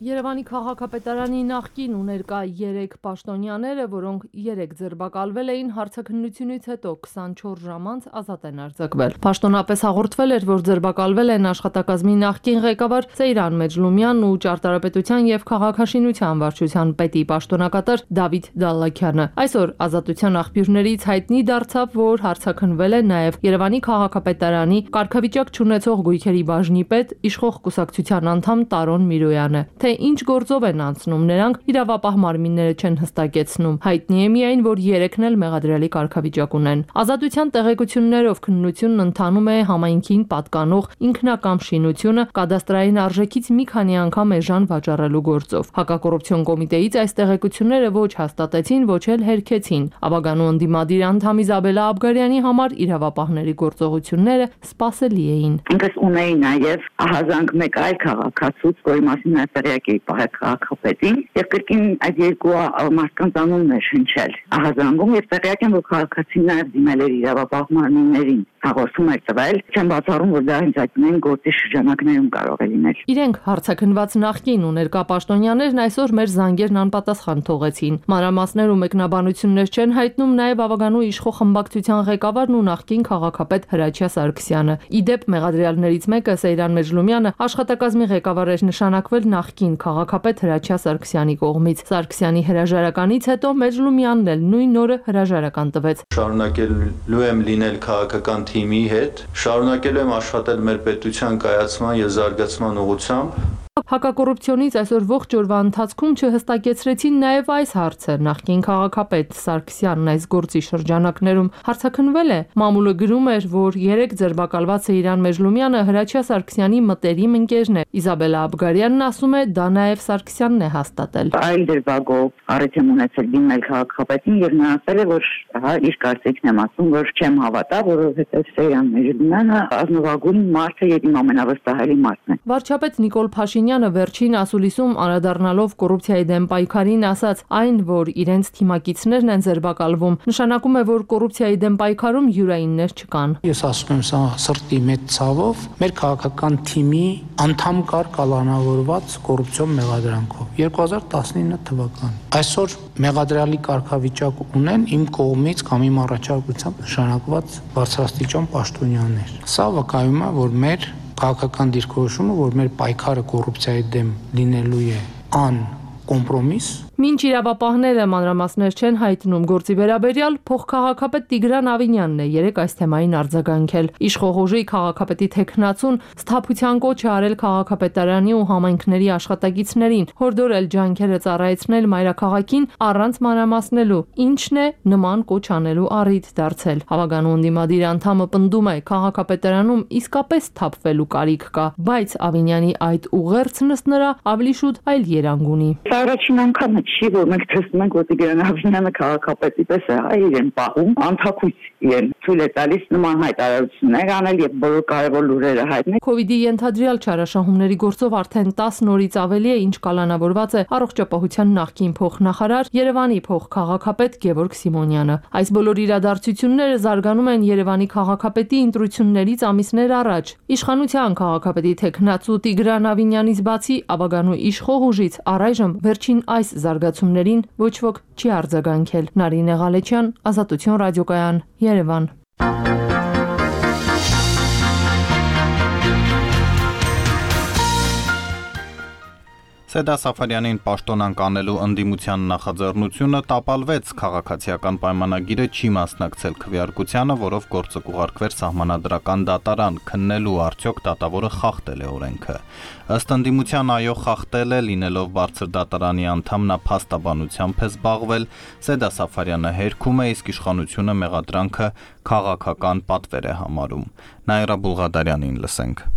Երևանի քաղաքապետարանի նախկին ու ներկա 3 պաշտոնյաները, որոնք 3 ձերբակալվել էին, հարցաքննությունից հետո 24 ժամ անց ազատ են արձակվել։ Պաշտոնապես հաղորդվել էր, որ ձերբակալվել են աշխատակազմի նախկին ղեկավար Սեյրան Մեջլումյանն ու ճարտարապետության եւ քաղաքաշինության վարչության պետի պաշտոնակատար Դավիթ Դալլաքյանը։ Այսօր Ազատության աղբյուրներից հայտնի դարձավ, որ հարցաքննվել է նաեւ Երևանի քաղաքապետարանի կարգավիճակ չունեցող գույքերի բաժնի պետ իշխող կուսակցության անդամ Տարոն Միրոյանը։ Ինչ գործով են անցնում, նրանք իրավապահ մարմինները չեն հստակեցնում։ Հայտնի է միայն, որ 3-ն էլ մեղադրելի կարգավիճակ ունեն։ Ազատության տեղեկություններով քննությունն ընթանում է համայնքին պատկանող ինքնակամ շինությունը կադաստրային արժեքից մի քանի անգամ էժան վաճառելու գործով։ Հակակոռուպցիոն կոմիտեից այս տեղեկությունները ոչ հաստատեցին, ոչ էլ հերքեցին։ Ավագանու ընդդիմադիր անդամ Իզաբելա Աբգարյանի համար իրավապահների գործողությունները սպասելի էին։ Ինքս ունեի նաև ահազանգ մեկ այլ քաղաքացուց, որի մասին տեղյակի քաղաքապետին եւ կրկին այդ երկու մարդկանց անուններ հնչել ահազանգում եւ տեղյակ եմ, որ քաղաքացին նաեւ դիմել էր իրավապահ մարմիններին հաղորդում էր տվել, չեմ բացառում, որ դա հենց այդնային գործի շրջանակներում կարող է լինել։ Իրենք հարցաքննված նախկին ու ներկա պաշտոնյաներն այսօր մեր զանգերն անպատասխան թողեցին։ Մանրամասներ ու մեկնաբանություններ չեն հայտնում նաեւ ավագանու իշխող խմբակցության ղեկավարն ու նախկին քաղաքապետ Հրաչյա Սարգսյանը։ Իդեպ մեղադրյալներից մեկը Սեյրան Մեջլումյանը աշխատակազմի ղեկավար էր նշանակվել նախկին քաղաքապետ Հրաչյա Սարգսյանի կողմից։ Սարգսյանի հրաժարականից հետո Մեջլումյանն էլ նույն օրը հրաժարական տվեց։ Շարունակելու եմ լինել քաղաքական թիմի հետ, շարունակելու եմ աշխատել մեր պետության կայացման եւ զարգացման ուղղությամբ։ Հակակոռուպցիոնից այսօր ողջ օրվա ընթացքում չհստակեցրեցին նաև այս հարցը։ Նախկին քաղաքապետ Սարգսյանն այս գործի շրջանակներում հարցաքննվել է։ Մամուլը գրում էր, որ 3 ձերբակալված Սեյրան Մեջլումյանը Հրաչյա Սարգսյանի մտերիմ ընկերն է։ Իզաբելա Աբգարյանն ասում է, դա նաև Սարգսյանն է հաստատել։ Այլ դրվագով առիթ եմ ունեցել դիմել քաղաքապետին եւ նա ասել է, որ իր կարծիքն եմ ասում, որ չեմ հավատա, որովհետեւ Սեյրան Մեջլումյանը ազնվագույն մարդ է եւ իմ ամենավստահելի մարդն է։ Վարչապետ Նիկոլ Փաշինյանը վերջին ասուլիսում անդրադառնալով կոռուպցիայի դեմ պայքարին ասաց, այն, որ իրենց թիմակիցներն են ձերբակալվում, նշանակում է, որ կոռուպցիայի դեմ պայքարում յուրայիններ չկան։ Ես ասում եմ սա սրտի մեծ ցավով, մեր քաղաքական թիմի անդամ կար կալանավորված կոռուպցիոն մեղադրանքով 2019 թվական։ Այսօր մեղադրյալի կարգավիճակ ունեն իմ կողմից կամ իմ առաջարկությամբ նշանակված բարձրաստիճան պաշտոնյաներ։ Սա վկայում է, որ մեր քաղաքական դիրքորոշումը, որ մեր պայքարը կոռուպցիայի դեմ լինելու է կոմպրոմիս։ Մինչ իրավապահները մանրամասներ չեն հայտնում գործի վերաբերյալ, փոխքաղաքապետ Տիգրան Ավինյանն է երեք այս թեմային արձագանքել։ Իշխող ուժի քաղաքապետի թեկնածուն սթափության կոչ է արել քաղաքապետարանի ու համայնքների աշխատակիցներին, հորդորել ջանքերը ծառայեցնել մայրաքաղաքին առանց մանրամասնելու, ինչն է նման կոչ անելու առիթ դարձել։ Հավագանու ընդդիմադիր անդամը պնդում է, քաղաքապետարանում իսկապես սթափվելու կարիք կա, բայց Ավինյանի այդ ուղերձն ըստ նրա ավելի շուտ այլ երանգ ունի։ Առաջին անգամը չի, որ մենք տեսնում ենք, որ Տիգրան Ավինյանը քաղաքապետի պես է իրեն պահում, անթակույց իրեն ցույց է տալիս նման հայտարարություններ անել եւ բոլոր կարևոր լուրերը հայտնել։ Կովիդի ենթադրյալ չարաշահումների գործով արդեն 10 օրից ավելի է, ինչ կալանավորված է առողջապահության նախկին փոխնախարար Երևանի փոխքաղաքապետ Գևորգ Սիմոնյանը։ Այս բոլոր իրադարձությունները զարգանում են Երևանի քաղաքապետի ընտրություններից ամիսներ առաջ։ Իշխանության քաղաքապետի թեկնածու Տիգրան Ավինյանից բացի ավագանու իշխող ուժից առայժմ վերջին այս զարգացումներին ոչ ոք չի արձագանքել։ Նարինե Ղալեչյան, Ազատություն ռադիոկայան, Երևան։ Սեդա Սաֆարյանին պաշտոնանկ անելու ընդդիմության նախաձեռնությունը տապալվեց, քաղաքացիական պայմանագիրը չի մասնակցել քվեարկությանը, որով գործը կուղարկվեր սահմանադրական դատարան, քննելու արդյոք դատավորը խախտել է օրենքը։ Ըստ ընդդիմության այո խախտել է, լինելով բարձր դատարանի անդամ նա փաստաբանությամբ է զբաղվել, Սեդա Սաֆարյանը հերքում է, իսկ իշխանությունը մեղադրանքը քաղաքական պատվեր է համարում։ Նաիրա Բուլղադարյանին լսենք։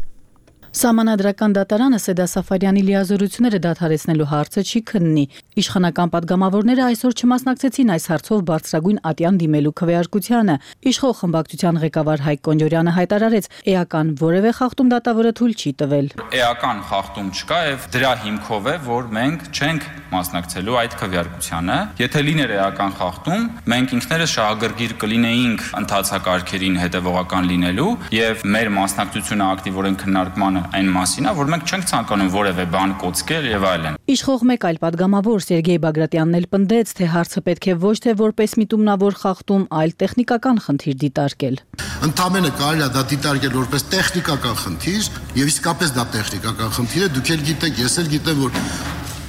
Սահմանադրական դատարանը Սեդա Սաֆարյանի լիազորությունները դադարեցնելու հարցը չի քննի։ Իշխանական падգամավորները այսօր չմասնակցեցին այս հարցով բարձրագույն ատյան դիմելու քվեարկությանը։ Իշխող խմբակցության ղեկավար Հայկ Կոնջորյանը հայտարարեց, էական որևէ խախտում դատավորը թույլ չի տվել։ Էական խախտում չկա եւ դրա հիմքով է, որ մենք չենք մասնակցելու այդ քվեարկությանը։ Եթե լիներ էական խախտում, մենք ինքներս շահագրգիռ կլինեինք ընթացակարգերին հետևողական լինելու եւ մեր մասնակցությունը ակտիվորեն քննարկմանը այն մասին է, որ մենք չենք ցանկանում որևէ բան կոծկել եւ այլն։ Իշխող մեկ այլ падգամավոր Սերգեյ Բագրատյանն էլ պնդեց, թե հարցը պետք է ոչ թե որպես միտումնավոր խախտում, այլ տեխնիկական խնդիր դիտարկել։ Ընդամենը կարելի է դա դիտարկել որպես տեխնիկական խնդիր, եւ իսկապես դա տեխնիկական խնդիր է, դուք էլ գիտեք, ես էլ գիտեմ, որ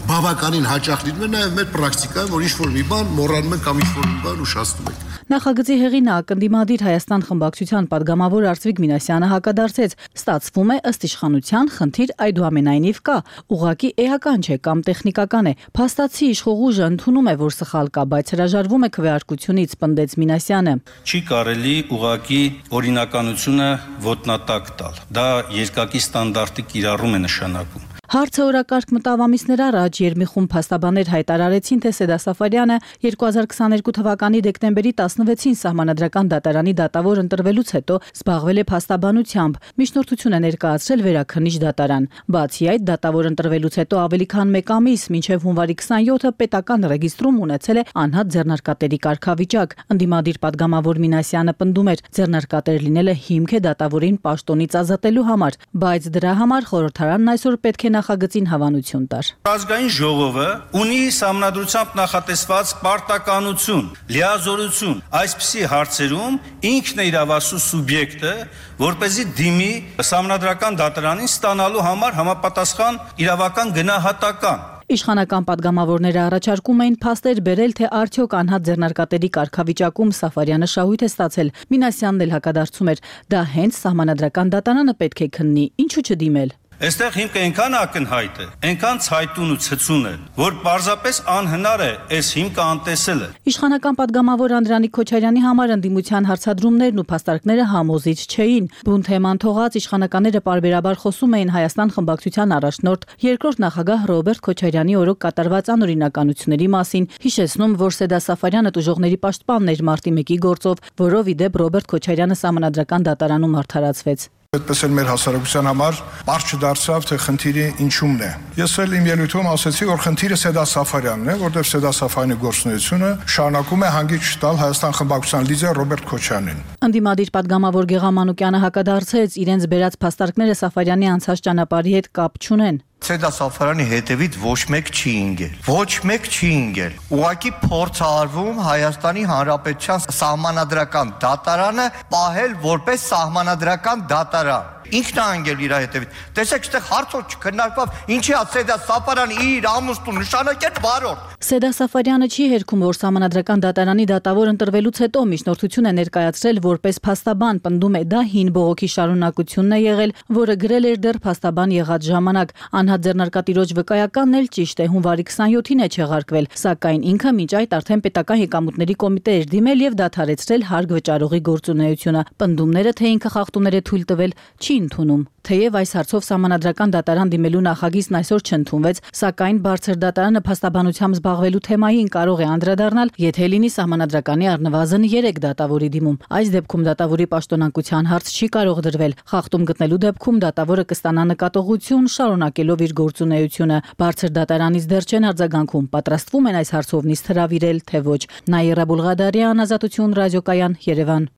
բավականին հաճախ լինում է նաեւ մեր պրակտիկայում, որ ինչ-որ մի բան մոռանում ենք կամ ինչ-որ մի բան ուշացնում ենք։ Նախագծի հեղինակ ընդդիմադիր Հայաստան խմբակցության падգամավոր Արծվիկ Մինասյանը հակադարձեց. ստացվում է ըստ իշխանության խնդիր այդուամենայնիվ կա, ուղղակի էական չէ կամ տեխնիկական է։ Փաստացի իշխող ուժը ընդունում է, որ սխալ կա, բայց հրաժարվում է քվեարկությունից, պնդեց Մինասյանը։ Չի կարելի ուղղակի օրինականությունը ոտնատակ տալ։ Դա երկակի ստանդարտի կիրառում է նշանակում։ Հարցը օրակարգ մտավ ամիսներ առաջ Երմիխում փաստաբաններ հայտարարեցին, թե Սեդա Սաֆարյանը 2022 թվականի դեկտեմբերի 16-ին սահմանադրական դատարանի դատավոր ընտրվելուց հետո զբաղվել է փաստաբանությամբ, միջնորդություն է ներկայացրել վերաքննիչ դատարան։ Բացի այդ, դատավոր ընտրվելուց հետո ավելի քան 1 ամիս, մինչև հունվարի 27-ը պետական ռեգիստրում ունեցել է անհատ ձեռնարկատերի կարգավիճակ։ Ընդդիմադիր падգամավոր Մինասյանը պնդում էր, ձեռնարկատեր լինելը հիմք է դատավորին պաշտոնից ազատելու համար, բայց դրա համար խորհրդարանն այսօր պետք է նախագծին հավանություն տար։ Ազգային ժողովը ունի սահմանադրությամբ նախատեսված պարտականություն, լիազորություն այսպիսի հարցերում ինքն է իրավասու սուբյեկտը, որպեսզի դիմի սահմանադրական դատարանին ստանալու համար համապատասխան իրավական գնահատական։ Իշխանական падգամավորները առաջարկում էին փաստեր բերել, թե արդյոք անհատ ձեռնարկատերի կարգավիճակում Սաֆարյանը շահույթ է ստացել։ Մինասյանն էլ հակադարձում էր, դա հենց սահմանադրական դատարանը պետք է քննի, ինչու չդիմել։ Այստեղ հիմքը այնքան ակնհայտ է, այնքան ցայտուն ու ցցուն է, որ պարզապես անհնար է այս հիմքը անտեսելը։ Իշխանական падգամավոր Անդրանիկ Քոչարյանի համար ընդդիմության հարցադրումներն ու փաստարկները համոզիչ չէին։ Բուն թեման թողած իշխանականները պարբերաբար խոսում էին Հայաստան խմբակցության առաջնորդ երկրորդ նախագահ Ռոբերտ Քոչարյանի օրոք կատարված անօրինականությունների մասին, հիշեցնում, որ Սեդա Սաֆարյանը տուժողների պաշտպանն էր մարտի 1-ի գործով, որով ի դեպ Ռոբերտ Քոչարյանը սահմանադրական դատարանում արդարացվեց։ Այդպես էլ մեր հասարակության համար բարձ չդարձավ, թե խնդիրը ինչումն է։ Ես էլ իմ ելույթում ասացի, որ խնդիրը Սեդա Սաֆարյանն է, որտեղ Սեդա Սաֆարյանի գործունեությունը շարունակում է հանգիճ տալ Հայաստան խմբակցության լիդեր Ռոբերտ Քոչարյանին։ Ընդդիմադիր падգամավոր Գեղամ Մանուկյանը հակադարձեց, իրենց բերած փաստարկները Սաֆարյանի անցած ճանապարհի հետ կապ չունեն։ Սեդա Սաֆարյանի հետևից ոչ մեկ չի ինգել։ Ոչ մեկ չի ինգել։ Ուղղակի փորձ արվում Հայաստանի Հանրապետության սահմանադրական դատարանը պահել որպես սահմանադրական դատարան։ Ինքն է անգել իր հետևից։ Տեսեք, այդտեղ հարցով չքննարկվավ, ինչի է Սեդա Սաֆարյանը իր ամուսնուն նշանակել վարորդ։ Սեդա Սաֆարյանը չի հերքում, որ սահմանադրական դատարանի դատավոր ընտրվելուց հետո միջնորդություն է ներկայացրել որպես փաստաբան, պնդում է դա հին բողոքի շարունակությունն է եղել, որը գրել էր դեռ փաստաբան եղած ժամանակ։ Անհատ ձեռնարկատիրոջ վկայականն էլ ճիշտ է, հունվարի 27-ին է չեղարկվել, սակայն ինքը մինչ այդ արդեն պետական եկամուտների կոմիտե էր դիմել եւ դադարեցրել հարկ վճարողի գործունեությունը։ Պնդումները, թե ինքը խախտումներ է թույլ տվել, չի ընդունում։ Թեև այս հարցով սահմանադրական դատարան դիմելու նախագիծն այսօր չընդունվեց, սակայն բարձր դատարանը փաստաբանությամբ զբաղվելու թեմային կարող է անդրադառնալ, եթե լինի սահմանադրականի առնվազն 3 դատավորի դիմում։ Այս դեպքում դատավորի պաշտոնանկության հարց չի կարող դրվել։ Խախտում գտնելու դեպքում դատավորը կստանա նկատողություն, շարունակելով իր գործունեությունը։ Բարձր դատարանից դեռ չեն արձագանքում, պատրաստվում են այս հարցով նիստ հրավիրել, թե ոչ։ Նաիրա Բուլղադարյան, Ազատություն ռադիոկայան, Երևան։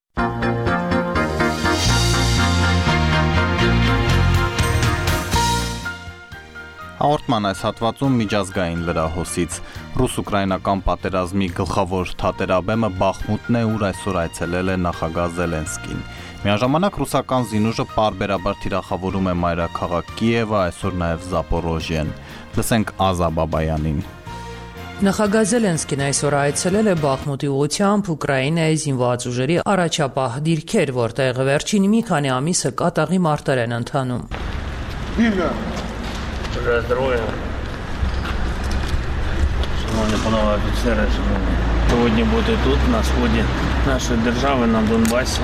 Հաղորդման այս հատվածում միջազգային լրահոսից ռուս-ուկրաինական պատերազմի գլխավոր թատերաբեմը Բախմուտն է, ուր այսօր այցելել է նախագահ Զելենսկին։ Միաժամանակ ռուսական զինուժը պարբերաբար թիրախավորում է մայրաքաղաք Կիևը, այսօր նաև Զապորոժիեն։ Լսենք Ազա Բաբայանին։ Նախագահ Զելենսկին այսօր այցելել է Բախմուտի ուղղությամբ Ուկրաինայի զինված ուժերի առաջապահ դիրքեր, որտեղ վերջին մի քանի ամիսը կատաղի մարտեր են ընթանում։ Сегодня будет тут, на сходе нашей державы на Донбассе.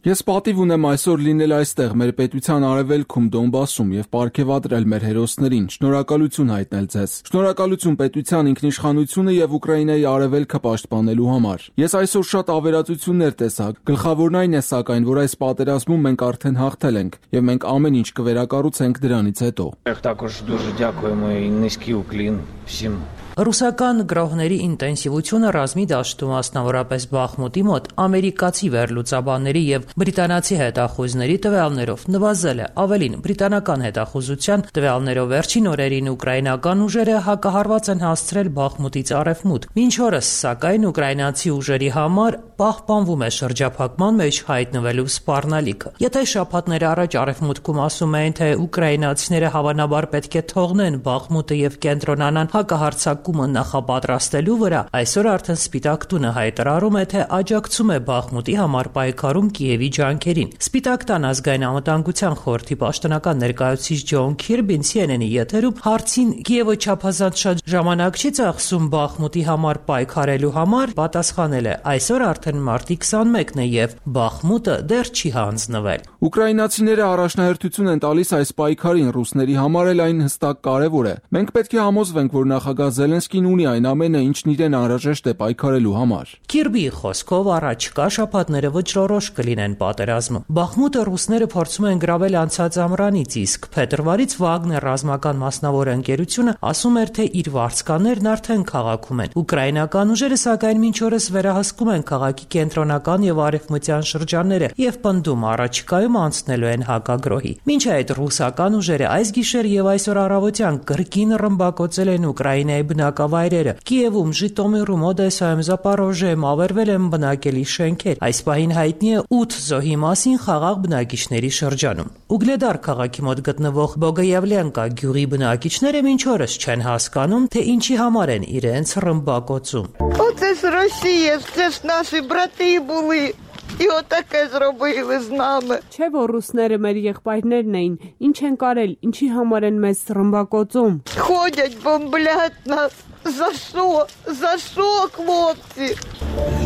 Ես պատիվ ունեմ այսօր լինել այստեղ մեր պետության արևելքում Դոնբասում եւ պարգեւատրել մեր հերոսներին, շնորհակալություն հայտնել ձեզ։ Շնորհակալություն պետության ինքնիշխանությունը եւ Ուկրաինայի արևելքը պաշտպանելու համար։ Ես այսօր շատ ավերածություններ տեսա։ Գլխավորն այն է սակայն, որ այս պատերազմում մենք արդեն հաղթել ենք եւ մենք ամեն ինչ կվերակառուցենք դրանից հետո։ Також дуже дякуємо і низький уклін всім. Ռուսական գրողների ինտենսիվությունը ռազմի դաշտում, մասնավորապես Բախմուտի մոտ, ամերիկացի վերլուծաբանների եւ բրիտանացի հետախուզների տվյալներով նվազել է։ Ավելին, բրիտանական հետախուզության տվյալներով վերջին օրերին ուկրաինական ուժերը հակահարված են հասցրել Բախմուտից արևմուտք։ Մինչ օրս, սակայն, ուկրաինացի ուժերի համար պահպանվում է շրջափակման մեջ հայտնվելու սպառնալիքը։ Եթե շաբաթներ առաջ արևմուտքում ասում էին, թե ուկրաինացիները հավանաբար պետք է թողնեն Բախմուտը եւ կենտրոնանան հակահարձակումը նախապատրաստելու վրա, այսօր արդեն Սպիտակ տունը հայտարարում է, թե աջակցում է Բախմուտի համար պայքարում Կիևի ջանքերին։ Սպիտակ տան ազգային անվտանգության խորհրդի պաշտոնական ներկայացուցիչ Ջոն Քիրբին CNN-ի եթերում հարցին Կիևը չափազանց շատ ժամանակ չի ծախսում Բախմուտի համար պայքարելու համար, պատասխանել է. այսօր արդեն մարտի 21-ն է եւ Բախմուտը դեռ չի հանձնվել։ Ուկրաինացիները առաջնահերթություն են տալիս այս պայքարին, ռուսների համար էլ այն հստակ կարևոր է։ Մենք պետք է համոզվենք, որ նախագահ Զելենսկին ունի այն ամենը, ինչն իրեն անհրաժեշտ է պայքարելու համար։ Քիրբիի խոսքով առաջկա շաբաթները վճռորոշ կլինեն պատերազմում։ Բախմուտը ռուսները փորձում են գրավել անցած ամռանից, իսկ փետրվարից Վագներ ռազմական մասնավոր ընկերությունը ասում էր, թե իր վարձկաններն արդեն քաղաքում են։ Ուկրաինական ուժերը սակայն մինչ օրս վերահսկում են քաղաքի կենտրոնական եւ արևմտյան շրջանները եւ պնդում առաջիկայում անցնելու են հակագրոհի։ Մինչ այդ ռուսական ուժերը այս գիշեր եւ այսօր առավոտյան կրկին ռմբակոծել են Ուկրաինայի բնակավայրերը։ Կիևում, Ժիտոմիրում, Օդեսայում, Զապորոժիայում ավերվել են բնակելի շենքեր։ Այս պահին հայտնի է 8 զոհի մասին խաղաղ բնակիչների шրջանում։ Ուգլեդար քաղաքի мոտ գտնվող Բոգոյավլենկա գյուղի բնակիչները մինչ օրս չեն հասկանում, թե ինչի համար են իրենց ռմբակոծում։ Оце з Росії, це ж наші брати були. І отаке зробили з нами. Չէ որ ռուսները մեր եղբայրներն էին, ինչ են կարել, ինչի համար են մեզ ռմբակոծում։ Ходять, бомблять нас. За що? За що, хлопці?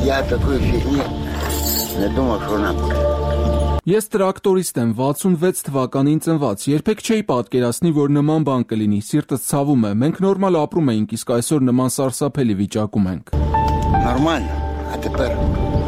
Я такої фігні не думав, що нам. Ես տրակտորիստ եմ, 66 թվականին ծնված, երբեք չէի պատկերացնի, որ նման բան կլինի, սիրտս ցավում է, մենք նորմալ ապրում էինք, իսկ այսօր նման սարսափելի վիճակում ենք։ Նորմալ, а тепер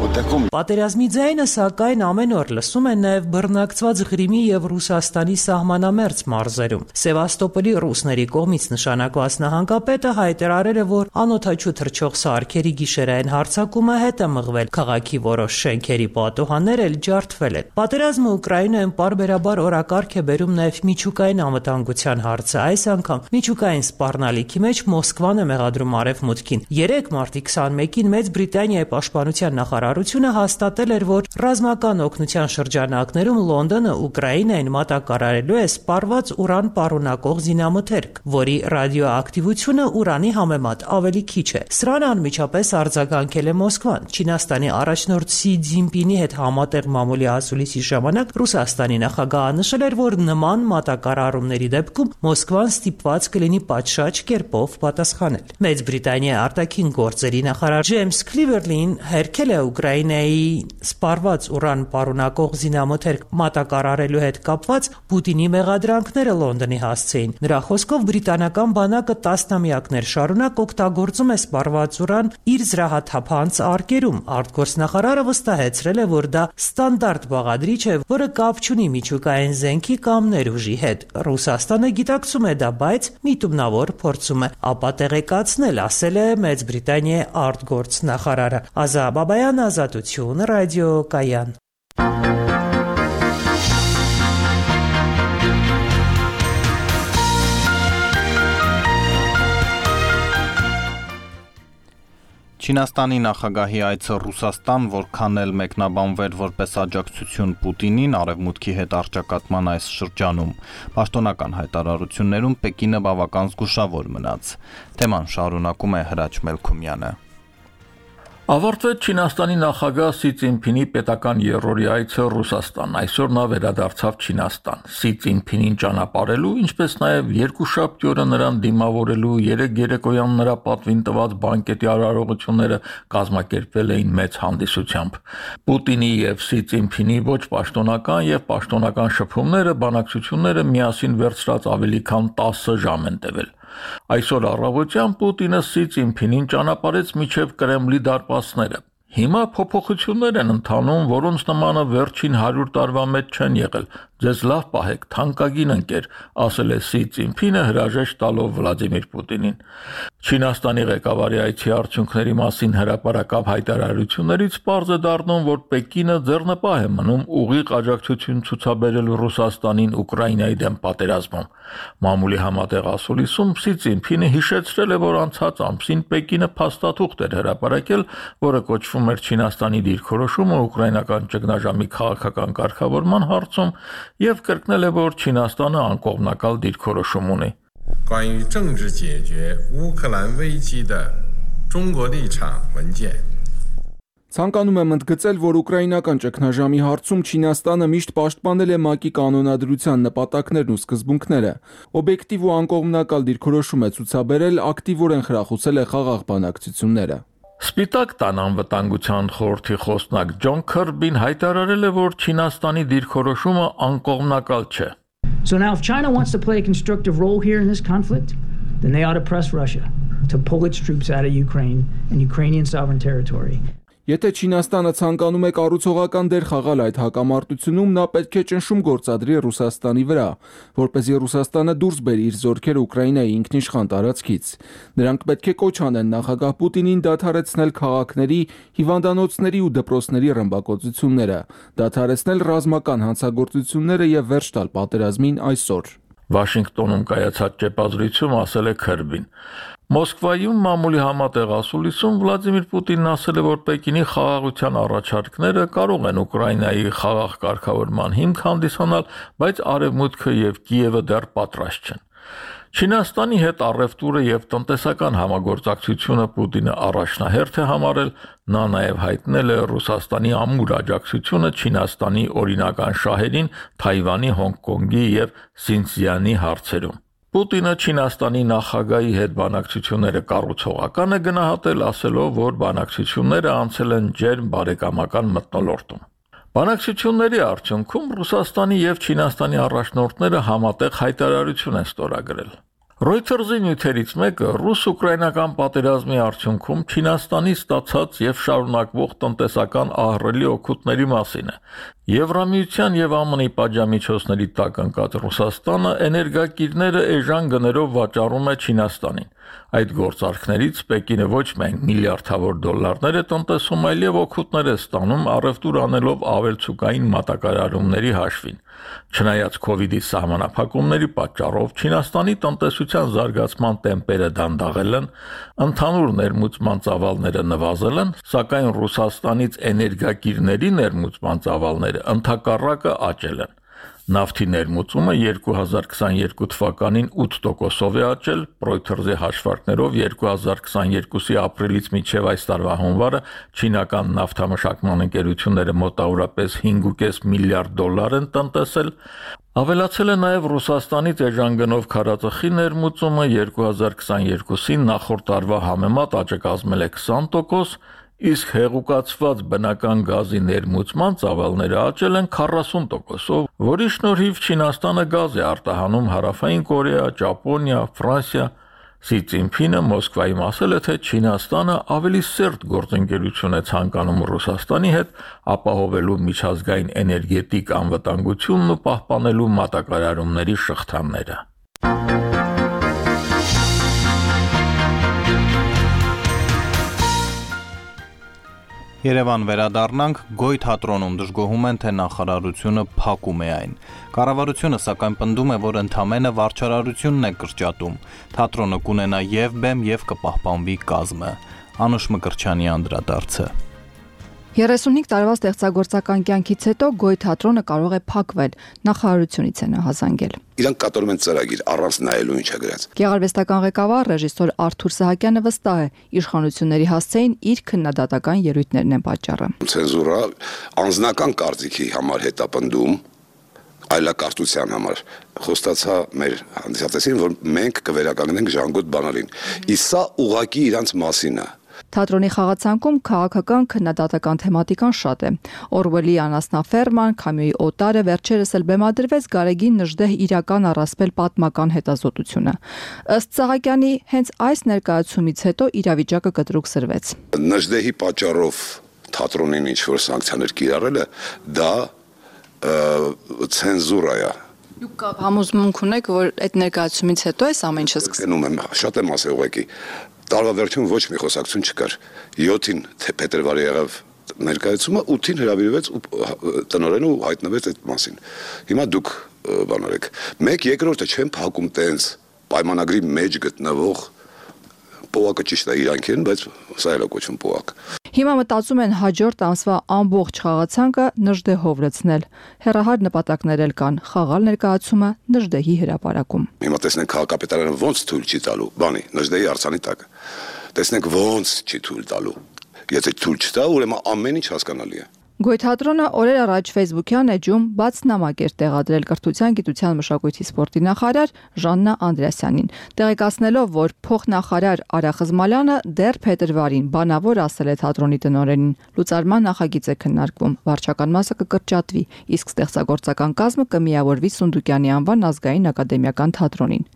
отакому. Պատերազմի ձայնը սակայն ամեն օր լսում են նաև բռնակցված Ղրիմի եւ Ռուսաստանի սահմանամերձ մարզերում։ Սևաստոպոլի ռուսների կողմից նշանակված նահանգապետը հայտարարել է, որ անօթաչու թռչող սարքերի գիշերային հարձակումը հետ է մղվել, քաղաքի որոշ շենքերի պատուհաններ էլ ջարդվել են։ Պատերազմը Ուկրաինայում պարբերաբար օրակարգ է բերում նաև միջուկային անվտանգության հարցը։ Այս անգամ միջուկային սպառնալիքի մեջ Մոսկվան է մեղադրում արևմուտքին։ 3 մարտի 21-ին Մեծ Բրիտանիայի պաշտպանության նախարարությունը հաստատել էր, որ ռազմական օգնության շրջանակներում Լոնդոնը Ուկրաինային մատակարարելու է սպառված ուրան պարունակող զինամթերք, որի ռադիոակտիվությունը ուրանի համեմատ ավելի քիչ է։ Սրան անմիջապես արձագանքել է Մոսկվան։ Չինաստանի առաջնորդ Սի Ցզինպինի հետ համատեղ մամուլի ասուլիսի ժամանակ Ռուսաստանի նախագահը նշել էր, որ նման մատակարարումների դեպքում Մոսկվան ստիպված կլինի պատշաճ կերպով պատասխանել։ Մեծ Բրիտանիայի արտաքին գործերի նախարար Ջեյմս Քլիվերլին հերքել է Ուկրաինայի սպառված ուրան պարունակող զինամթերք մատակարարելու հետ կապված Պուտինի մեղադրանքները Լոնդոնի հասցեին։ Նրա խոսքով բրիտանական բանակը տասնամյակներ շարունակ օգտագործում է սպառված ուրան իր զրահաթափանց արկերում։ Արտգործնախարարը վստահեցրել է, որ դա ստանդարտ բաղադրիչ է, որը կապ չունի միջուկային զենքի կամ ներուժի հետ։ Ռուսաստանը գիտակցում է դա, բայց միտումնավոր փորձում է ապա տեղեկացնել, ասել է Մեծ Բրիտանիայի արտգործնախարարը։ Ազա Բաբայան, Ազատություն, Ռադիո Կայան։ Չինաստանի նախագահի այցը Ռուսաստան, որքան էլ մեկնաբանվեր որպես աջակցություն Պուտինին արևմուտքի հետ առճակատման այս շրջանում, պաշտոնական հայտարարություններում Պեկինը բավական զգուշավոր մնաց։ Թեման շարունակում է Հրաչ Մելքումյանը։ Ավարտվեց Չինաստանի նախագահ Սի Ցինփինի պետական երրորդի այցը Ռուսաստան։ Այսօր նա վերադարձավ Չինաստան։ Սի Ցինփինին ճանապարհելու, ինչպես նաև երկուշաբթի օրը նրան դիմավորելու 3 երեկոյան նրա պատվին տված բանկետի արարողությունները կազմակերպվել էին մեծ հանդիսությամբ։ Պուտինի եւ Սի Ցինփինի ոչ պաշտոնական եւ պաշտոնական շփումները, բանակցությունները միասին վերցրած ավելի քան 10 ժամ են տևել։ Այսօր առավոտյան Պուտինը Սի Ցինփինին ճանապարհեց մինչև Կրեմլի դարպասները։ Հիմա փոփոխություններ են ընթանում, որոնց նմանը վերջին 100 տարվա մեջ չեն եղել։ Ձեզ լավ պահեք, թանկագին ընկեր, ասել է Սի Ցինփինը հրաժեշտ տալով Վլադիմիր Պուտինին։ Չինաստանի ղեկավարի այցի արդյունքների մասին հրապարակավ հայտարարություններից պարզ է դառնում, որ Պեկինը ձեռնպահ է մնում ուղիղ աջակցություն ցուցաբերել Ռուսաստանին Ուկրաինայի դեմ պատերազմում։ Մամուլի համատեղ ասուլիսում Սի Ցինփինը հիշեցրել է, որ անցած ամսին Պեկինը փաստաթուղթ էր հրապարակել, որը կոչվում էր Չինաստանի դիրքորոշումը ուկրաինական ճգնաժամի քաղաքական կարգավորման հարցում եւ կրկնել է, որ Չինաստանը անկողմնակալ դիրքորոշում ունի։ 关于政治解决乌克兰危机的中国立场文件 Ցանկանում եմ ընդգծել, որ ուկրաինական ճգնաժամի հարցում Չինաստանը միշտ պաշտպանել է ՄԱԿ-ի կանոնադրության նպատակներն ու սկզբունքները, օբյեկտիվ ու անկողմնակալ դիրքորոշում է ցուցաբերել, ակտիվորեն խրախուսել է խաղաղ բանակցությունները։ Սպիտակ տան անվտանգության խորհրդի խոսնակ Ջոն Քըրբին հայտարարել է, որ Չինաստանի դիրքորոշումը անկողմնակալ չէ։ So now if China wants to play a constructive role here in this conflict, then they ought to press Russia to pull its troops out of Ukraine and Ukrainian sovereign territory. Եթե Չինաստանը ցանկանում է կառուցողական դեր խաղալ այդ հակամարտությունում, նա պետք է ճնշում գործադրի Ռուսաստանի վրա, որպեսզի Ռուսաստանը դուրս բերի իր զորքերը Ուկրաինայի ինքնիշխան տարածքից։ Նրանք պետք է կոչ անեն նախագահ Պուտինին դադարեցնել քաղաքների, հիվանդանոցների ու դպրոցների ռմբակոծությունները, դադարեցնել ռազմական հանցագործությունները եւ վերջ տալ պատերազմին այսօր։ Վաշինգտոնում կայացած ճեպազրույցում ասել է Քըրբին։ Մոսկվայում մամուլի համատեղ ասուլիսում Վլադիմիր Պուտինն ասել է, որ Պեկինի խաղաղության առաջարկները կարող են Ուկրաինայի խաղաղ կարգավորման հիմք հանդիսանալ, բայց Արևմուտքը եւ Կիևը դեռ պատրաստ չեն։ Չինաստանի հետ առևտուրը եւ տնտեսական համագործակցությունը Պուտինը առաջնահերթ է համարել, նա նաեւ հայտնել է Ռուսաստանի ամուր աջակցությունը Չինաստանի օրինական շահերին Թայվանի, Հոնկոնգի եւ Սինցզյանի հարցերում։ Պուտինը Չինաստանի նախագահի հետ բանակցությունները կառուցողական է գնահատել, ասելով, որ բանակցությունները անցել են ջերմ բարեկամական մթնոլորտում։ Բանակցությունների արդյունքում Ռուսաստանի եւ Չինաստանի առաջնորդները համատեղ հայտարարություն են ստորագրել։ Reuters-ի նյութերից մեկը ռուս-ուկրաինական պատերազմի արդյունքում Չինաստանի ստացած եւ շարունակվող տնտեսական ահռելի օգուտների մասին է։ Եվրամիության եւ ԱՄՆ-ի պատժամիջոցների տակ ընկած Ռուսաստանը էներգակիրները էժան գներով վաճառում է Չինաստանին։ Այդ գործարքներից Պեկինը ոչ միայն միլիարդավոր դոլարներ է տնտեսում, այլև օգուտներ է ստանում առևտուր անելով ավելցուկային մատակարարումների հաշվին։ Չնայած Քովիդի սահմանափակումների պատճառով Չինաստանի տնտեսության զարգացման տեմպերը դանդաղել են, ընդհանուր ներմուծման ծավալները նվազել են, սակայն Ռուսաստանից էներգակիրների ներմուծման ծավալները ընդհակառակը աճել են։ Նավթի ներմուծումը 2022 թվականին 8%-ով է աճել, Reuters-ի հաշվարկներով 2022-ի ապրիլից մինչև այս տարվա հունվարը չինական նավթամշակման ընկերությունները մոտավորապես 5.5 միլիարդ դոլար են տնտեսել, ավելացել է նաև Ռուսաստանից էժան գնով քարածխի ներմուծումը 2022-ին նախորդ տարվա համեմատ աճը կազմել է 20%, իսկ հեղուկացված բնական գազի ներմուծման ծավալները աճել են 40%-ով, որի շնորհիվ Չինաստանը գազ է արտահանում Հարավային Կորեա, Ճապոնիա, Ֆրանսիա։ Սի Ցինփինը Մոսկվայում ասել է, թե Չինաստանը ավելի սերտ գործընկերություն է ցանկանում Ռուսաստանի հետ, ապահովելու միջազգային էներգետիկ անվտանգությունն ու պահպանելու մատակարարումների շղթաները։ Երևան վերադառնանք, Գոյ թատրոնում դժգոհում են, թե նախարարությունը փակում է այն։ Կառավարությունը սակայն պնդում է, որ ընդամենը վարչարարությունն է կրճատում։ Թատրոնը կունենա եւ բեմ եւ կպահպանվի կազմը։ Անուշ Մկրտչյանի անդրադարձը։ 35 տարվա ստեղծագործական կյանքից հետո Գոյ թատրոնը կարող է փակվել, նախարարությունից է նահանջել։ Իրանք կատարում են ծրագիր առանց նայելու ինչա գրած։ Գեղարվեստական ղեկավար ռեժիսոր Արթուր Սահակյանը վստահ է, իշխանությունների հասցեին իր քննադատական ելույթներն են պատճառը։ Ցենզուրա անձնական կարծիքի համար հետապնդում այլակարծության համար խոստացա մեր հանդիսատեսին, որ մենք կվերականգնենք ժանգոտ բանալին։ Իսկ սա ուղղակի իրանց մասին է։ Թատրոնի խաղացանկում քաղաքական քննադատական թեմատիկան շատ է։ Օրվելի անասնաֆերման, Քամյուի օտարը, վերջերս էլ բեմադրվեց Գարեգին Նժդեհ իրական առասպել պատմական հետազոտությունը։ Ըստ Սահակյանի, հենց այս ներկայացումից հետո իրավիճակը կտրուկ սրվեց։ Նժդեհի պատճառով թատրոնին ինչ-որ սանկցիաներ կիրառելը դա ցենզուրա է։ Դուք համոզմունք ունեք, որ այդ ներկայացումից հետո այս ամեն ինչը սկսվում է։ Շատ եմ ասել ուղղակի։ Տարվա վերջում ոչ մի խոսակցություն չկար։ 7-ին փետրվարի եղավ ներկայացումը, 8-ին հրավիրվեց ու տնօրենը հայտնվեց այդ մասին։ Հիմա դուք բանարեք։ Մեկ երկրորդը չեն փակում տենց պայմանագրի մեջ գտնվող պողակը ճիշտ է իրանք են, բայց սա էլ է կոչվում պողակ։ Հիմա մտածում են հաջորդ ամսվա ամբողջ խաղացանկը Նժդեհով լցնել։ Հեռահար նպատակներ էլ կան՝ խաղալ ներկայացումը Նժդեհի հրապարակում։ Հիմա տեսնենք քաղաքապետարանը ոնց թույլ չի տալու, բանի Նժդեհի արձանի տակ։ Տեսնենք ոնց չի թույլ տալու։ Եթե թույլ չտա, ուրեմն ամեն ինչ հասկանալի է։ Գոյ թատրոնը օրեր առաջ Facebook-յան էջում բաց նամակ էր տեղադրել կրթության, գիտության, մշակույթի, սպորտի նախարար Ժաննա Անդրեասյանին, տեղեկացնելով, որ փոխնախարար Արա Խզմալյանը դեռ փետրվարին բանավոր ասել է թատրոնի տնօրենին. լուծարման նախագիծ է քննարկվում, վարչական մասը կկրճատվի, իսկ ստեղծագործական կազմը կմիավորվի Սունդուկյանի անվան ազգային ակադեմիական թատրոնին։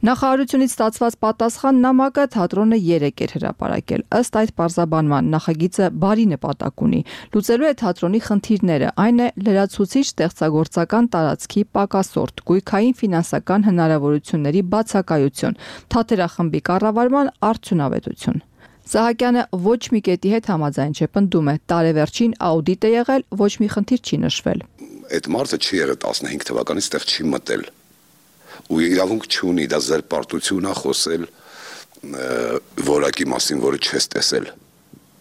Նախարարությունից ստացված պատասխան նամակը թատրոնը 3 էր հրապարակել։ Ըստ այդ պարզաբանման նախագիծը բարի նպատակ ունի, լուծելու է թատրոնի խնդիրները, այն է լրացուցիչ ստեղծագործական տարածքի պակասորտ, գույքային ֆինանսական հնարավորությունների բացակայություն, թատերախմբի կառավարման արդյունավետություն։ Սահակյանը ոչ մի կետի հետ համաձայն չէ, պնդում է, տարեվերջին աուդիտ է եղել, ոչ մի խնդիր չի նշվել։ Այդ մարդը չի եղել 15 թվականից տեղ չի մտել ու իրավունք չունի, դա զերպարտություն է խոսել որակի մասին, որը չես տեսել։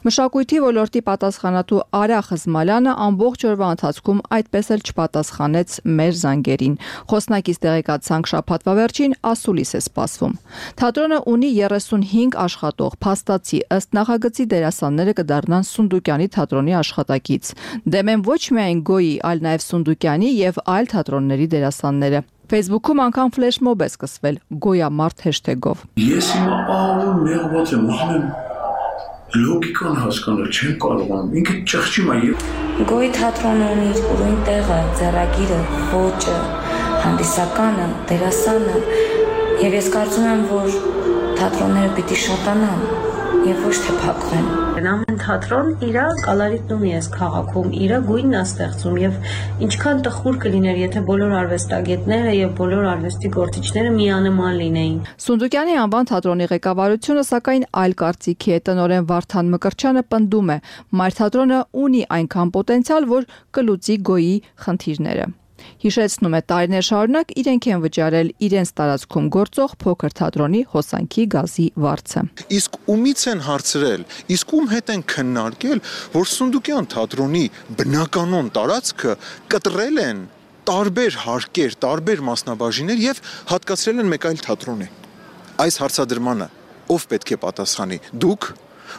Մշակույթի ոլորտի պատասխանատու Արա Խզմալյանը ամբողջ օրվա ընթացքում այդպես էլ չպատասխանեց մեր զանգերին։ Խոսնակից տեղեկացանք շաբաթվա վերջին ասուլիս է սպասվում։ Թատրոնը ունի 35 աշխատող, փաստացի, ըստ նախագծի դերասանները կդառնան Սունդուկյանի թատրոնի աշխատակից։ Դեմ են ոչ միայն Գոյի, այլ նաև Սունդուկյանի եւ այլ թատրոնների դերասանները։ Facebook-ում անգամ ֆլեշմոբ է սկսվել Գոյամարտ հեշթեգով։ Ես հիմա ահավոր նեղված եմ, ուզում եմ լոգիկան հասկանալ, չեմ կարողանում, ինքը ճղճում է եւ Գոյի թատրոնը ունի իր ուրույն տեղը, ձեռագիրը, ոճը, հանդիսականը, դերասանը եւ ես կարծում եմ, որ թատրոնները պիտի շատանան եւ ոչ թե փակվեն։ Ամեն թատրոն իր կալարիտն ունի այս քաղաքում, իր գույնն է ստեղծում եւ ինչքան տխուր կլիներ, եթե բոլոր արվեստագետները եւ բոլոր արվեստի գործիչները միանման լինեին։ Սունդուկյանի անվան թատրոնի ղեկավարությունը սակայն այլ կարծիքի է։ Տնօրեն Վարդան Մկրտչյանը պնդում է, մայր թատրոնը ունի այնքան պոտենցիալ, որ կլուծի Գոյի խնդիրները։ Հիշեցնում է, տարիներ շարունակ իրենք են վճարել իրենց տարածքում գործող փոքր թատրոնի հոսանքի գազի վարձը։ Իսկ ումից են հարցրել, իսկ ում հետ են քննարկել, որ Սունդուկյան թատրոնի բնականոն տարածքը կտրել են տարբեր հարկեր, տարբեր մասնաբաժիններ եւ հատկացրել են մեկ այլ թատրոնի։ Այս հարցադրմանը ով պետք է պատասխանի։ Դուք,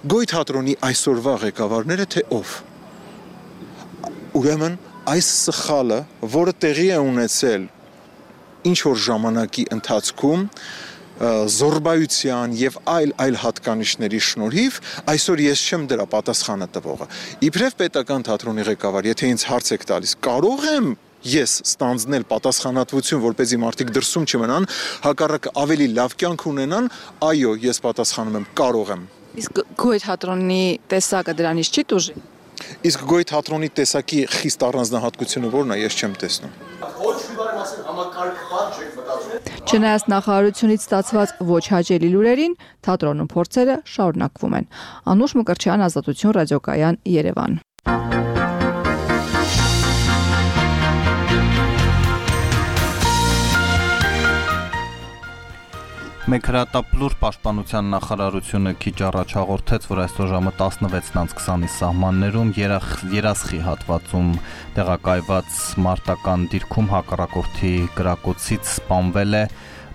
Գոյ թատրոնի այսօրվա ղեկավարները, թե ով։ Ուրեմն այս սխալը, որը տեղի է ունեցել ինչ որ ժամանակի ընթացքում զորբայության եւ այլ հատկանիշների շնորհիվ, այսօր ես չեմ դրա պատասխանը տվողը։ Իբրև պետական թատրոնի ղեկավար, եթե ինձ հարց եք տալիս, կարող եմ ես ստանձնել պատասխանատվություն, որպեսզի մարդիկ դրսում չմնան, հակառակը ավելի լավ կյանք ունենան, այո, ես պատասխանում եմ, կարող եմ։ Իսկ Գոյ թատրոնի տեսակը դրանից չի տուժի։ Իսկ Գոյ թատրոնի տեսակի խիստ առանձնահատկությունը որն է, ես չեմ տեսնում։ Չնայած նախարարությունից ստացված ոչ հաճելի լուրերին, թատրոնում փորձերը շարունակվում են։ Անուշ Մկրտչյան, Ազատություն ռադիոկայան, Երևան։ Մեկ հրատապլուր պաշտպանության նախարարությունը քիչ առաջ հաղորդեց, որ այսօր ժամը 16:20-ի սահմաններում երասխի հատվածում տեղակայված մարտական դիրքում հակառակորդի կրակոցից սպանվել է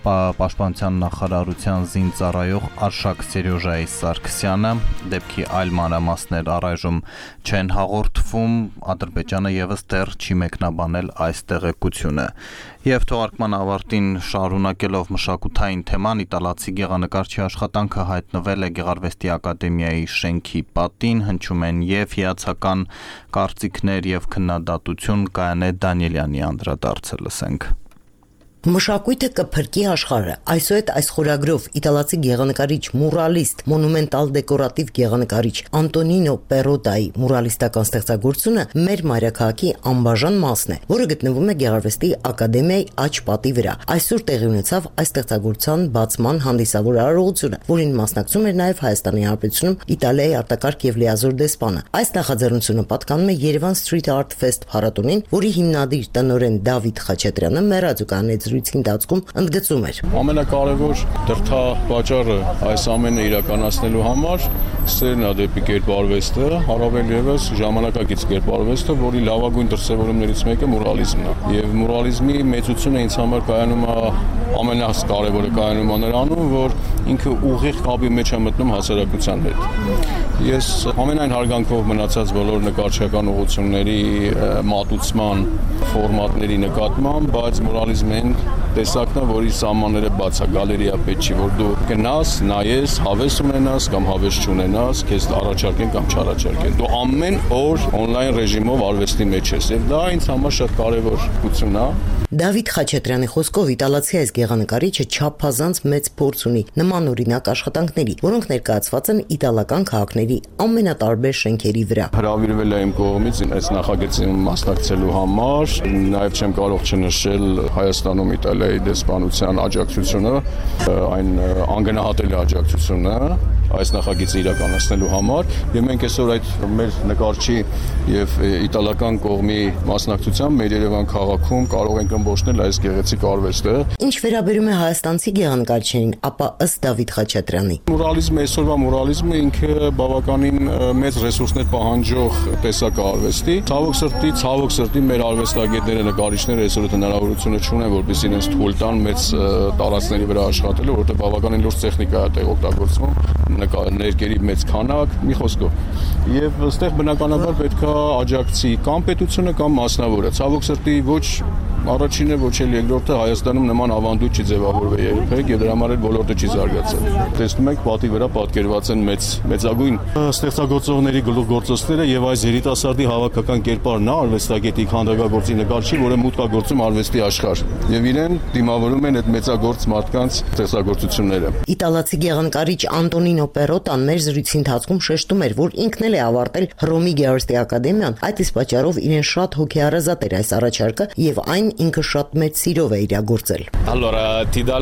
Պաշտպանության նախարարության զինծառայող Արշակ Սերյոժայի Սարգսյանը, դեպքի այլ մանրամասներ առայժմ չեն հաղորդվում, Ադրբեջանը եւս դեռ չի մեկնաբանել այս տեղեկությունը։ Եվ թողարկման ավարտին շարունակելով մշակութային թեման, իտալացի գեղանկարչի աշխատանքը հայտնվել է Գեղարվեստի ակադեմիայի շենքի պատին, հնչում են եւ հիացական կարծիքներ եւ քննադատություն, Կայանե Դանիելյանի անդրադարձը լսենք։ Մշակույթը կփրկի աշխարհը։ Այսուհետ այս խորագրով իտալացի գեղանկարիչ, մուրալիստ, մոնումենտալ դեկորատիվ գեղանկարիչ Անտոնինո Պերոտայի մուրալիստական ստեղծագործությունը մեր մայրաքաղաքի անբաժան մասն է, որը գտնվում է Գեղարվեստի ակադեմիայի աջ պատի վրա։ Այսօր տեղի ունեցավ այս ստեղծագործության բացման հանդիսավոր արարողությունը, որին մասնակցում էր նաև Հայաստանի Հանրապետությունում Իտալիայի արտակարգ եւ լիազոր դեսպանը։ Այս նախաձեռնությունը պատկանում է Yerevan Street Art Fest փառատոնին, որի հիմնադիր տնօրեն Դավիթ Խաչատրյանը մեռածուկանից ընթացքում ընդգծում էր. Ամենակարևոր դրդապատճառը այս ամենը իրականացնելու համար սերն է դեպի կերպարվեստը, առավել ևս ժամանակակից կերպարվեստը, որի լավագույն դրսևորումներից մեկը մուրալիզմն է։ Եվ մուրալիզմի մեծությունը ինձ համար կայանում է ամենակարևորը կայանում է նրանում, որ ինքը ուղիղ կապի մեջ է մտնում հասարակության հետ։ Ես ամենայն հարգանքով մնացած բոլոր նկարչական ուղղությունների մատուցման ֆորմատների նկատմամբ, բայց մուրալիզմն տեսակն է, որի սահմանները բաց է, գալերիա պետք չի, որ դու գնաս, նայես, հավես ունենաս կամ հավես չունենաս, քեզ առաջարկեն կամ չառաջարկեն։ Դու ամեն օր on-line ռեժիմով արվեստի մեջ ես, եւ դա ինձ համար շատ կարևոր գուցուն է։ Դավիթ Խաչատրյանի խոսքով իտալացի այս գեղանկարիչը չափազանց մեծ փորձ ունի նմանօրինակ աշխատանքների, որոնք ներկայացված են իտալական քաղաքների ամենատարբեր շենքերի վրա։ Հրավիրվել է իմ կողմից այս նախագծին մասնակցելու համար, նաև չեմ կարող չնշել Հայաստանում Իտալիայի դեսպանության աջակցությունը, այն անգնահատելի աջակցությունը այս նախագիծը իրականացնելու համար, եւ մենք այսօր այդ մեր նկարչի եւ իտալական կողմի մասնակցությամբ մեր Երևան քաղաքում կարող ենք ըմբոշխնել այս գեղեցիկ արվեստը։ Ինչ վերաբերում է հայաստանցի գեղանկարչին, ապա ըստ Դավիթ Խաչատրյանի, մուրալիզմը այսօրվա մուրալիզմը ինքը բավականին մեծ ռեսուրսներ պահանջող տեսակ է արվեստի։ Ցավոք սրտի մեր արվեստագետները, նկարիչները այսօր հնարավորությունը չունեն, որպեսզի իրենց թույլ տան մեծ տարածքների վրա աշխատելու, որովհետեւ բավականին լուրջ տեխնիկա է տեղ օգտագործվում, ներկերի մեծ քանակ, մի խոսքով։ Եվ այստեղ բնականաբար պետք է աջակցի կամ պետությունը կամ մասնավորը։ Ցավոք սրտի ոչ առաջինը, ոչ էլ երկրորդը Հայաստանում նման ավանդույթ չի ձևավորվել երբեք եւ դրա համար էլ ոլորտը չի զարգացել։ Տեսնում եք, պատի վրա պատկերված են մեծագույն ստեղծագործողների գլուխգործոցները եւ այս երիտասարդի հավաքական կերպարն է արվեստագետի քանդակագործի նկարչի, որը մուտք է գործում արվեստի աշխարհ եւ իրեն դիմավորում են այդ մեծագործ մարդկանց ստեղծագործությունները։ Իտալացի գեղանկարիչ Անտոնինո Պերոտան մեր զրույցի ընթացքում շեշտում էր, որ ինքն էլ է ավարտել Հռոմի Գեղարվեստի ակադեմիան, այդ իսկ պատճառով իրեն շատ հոգեհարազատ էր այս առաջարկը եւ այն ինքը շատ մեծ սիրով է իրագործել։ Allora, ti dà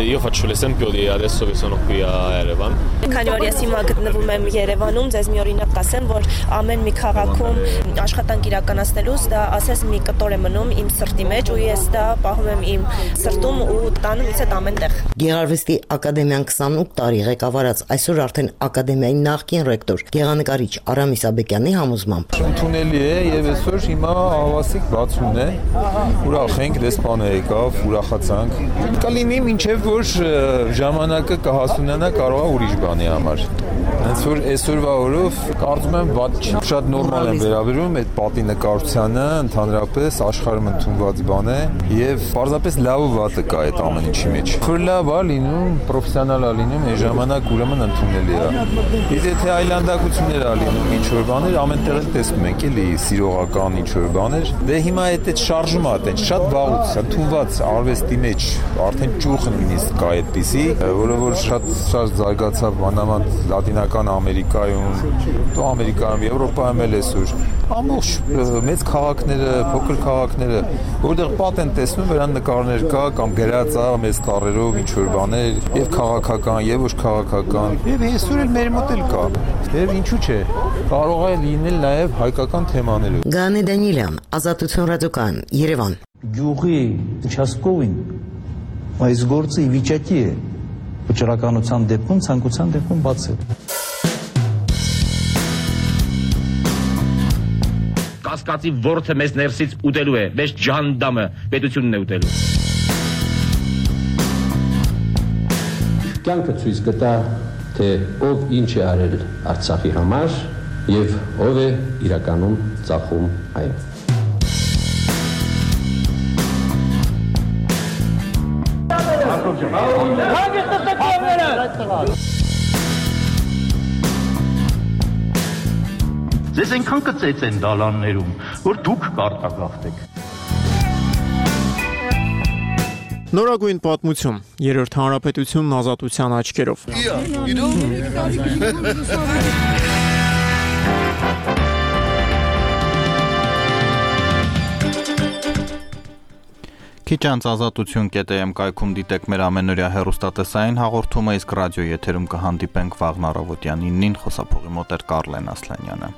io faccio l'esempio di adesso che sono qui a Yerevan. Քանի որ ես հիմա գտնվում եմ Երևանում, ձեզ մի օրինակ կասեմ, որ ամեն մի քաղաքում աշխատանք իրականացնելուց դա ասես մի կտոր է մնում իմ սրտի մեջ ու ես դա պահում եմ իմ սրտում ու տանում ինձ հետ ամենտեղ։ Գեղարվեստի ակադեմիան 28 տարի ղեկավարած այսօր արդեն ակադեմիայի նախկին ռեկտոր Գեղանկարիչ Արամ Իսաբեկյանի համոզմամբ ընդունելի է եւ այսօր հիմա հավասիկ բացումն է։ Ուրախ ենք, դեսպանը եկավ, ուրախացանք։ Կլինի մինչեւ որ ժամանակը կհասունանա, կարող է ուրիշ բանի համար։ Հենց որ այսօրվա օրով կարծում եմ շատ նորմալ են վերաբերում այդ պատի նկարչությանը, ընդհանրապես աշխարհում ընդունված բան է եւ պարզապես լավ ու վատը կա այդ ամեն ինչի մեջ։ Որ լավ է լինում, պրոֆեսիոնալ է լինում, այս ժամանակ ուրեմն ընդունելի է։ Իսկ եթե այլանդակություններ է լինում, ինչ որ բաներ, ամենտեղ էլ տեսնում ենք, էլի սիրողական ինչ որ բաներ, դե հիմա այդ շարժումը է, շատ վաղուց, ընդունված արվեստի մեջ արդեն ճուղը նույնիսկ կա այդպիսի, որը որ շատ զարգացավ մանավանդ Լատինական Ամերիկայում, դու Ամերիկայում, Եվրոպայում էլ այսօր ամբողջ մեծ քաղաքները, փոքր քաղաքները, որտեղ պատ են տեսնում, վերան նկարներ կա կամ գրած է մեծ տառերով ինչ որ բաներ, եւ քաղաքական, եւ ոչ քաղաքական, եւ այսօր էլ մեր մոտ էլ կա։ Եվ ինչու՞ չէ, կարող է լինել նաեւ հայկական թեմաներով։ Գանե Դանիելյան, Ազատություն ռադիոկայան, Երևան։ Գյուղի участковին Այս գործը ի վիճակի է վճռականության դեպքում, ցանկության դեպքում բացել։ Կասկածի ворթը մեզ ներսից ուտելու է, մեզ ջանդամը պետությունն է ուտելու։ Կյանքը ցույց կտա, թե ով ինչ է արել Արցախի համար եւ ով է իրականում ծախում այն։ Ձեզ այնքան կծեց են դալաններում, որ դուք կարտագաղթեք։ Նորագույն պատմություն, երրորդ հանրապետությունն ազատության աչքերով։ Քիչ անց ազատություն.am կայքում դիտեք մեր ամենօրյա հեռուստատեսային հաղորդումը, իսկ ռադիո եթերում կհանդիպենք վաղն առավոտյան 9-ին, խոսափողի մոտ էր Կարլեն Ասլանյանը։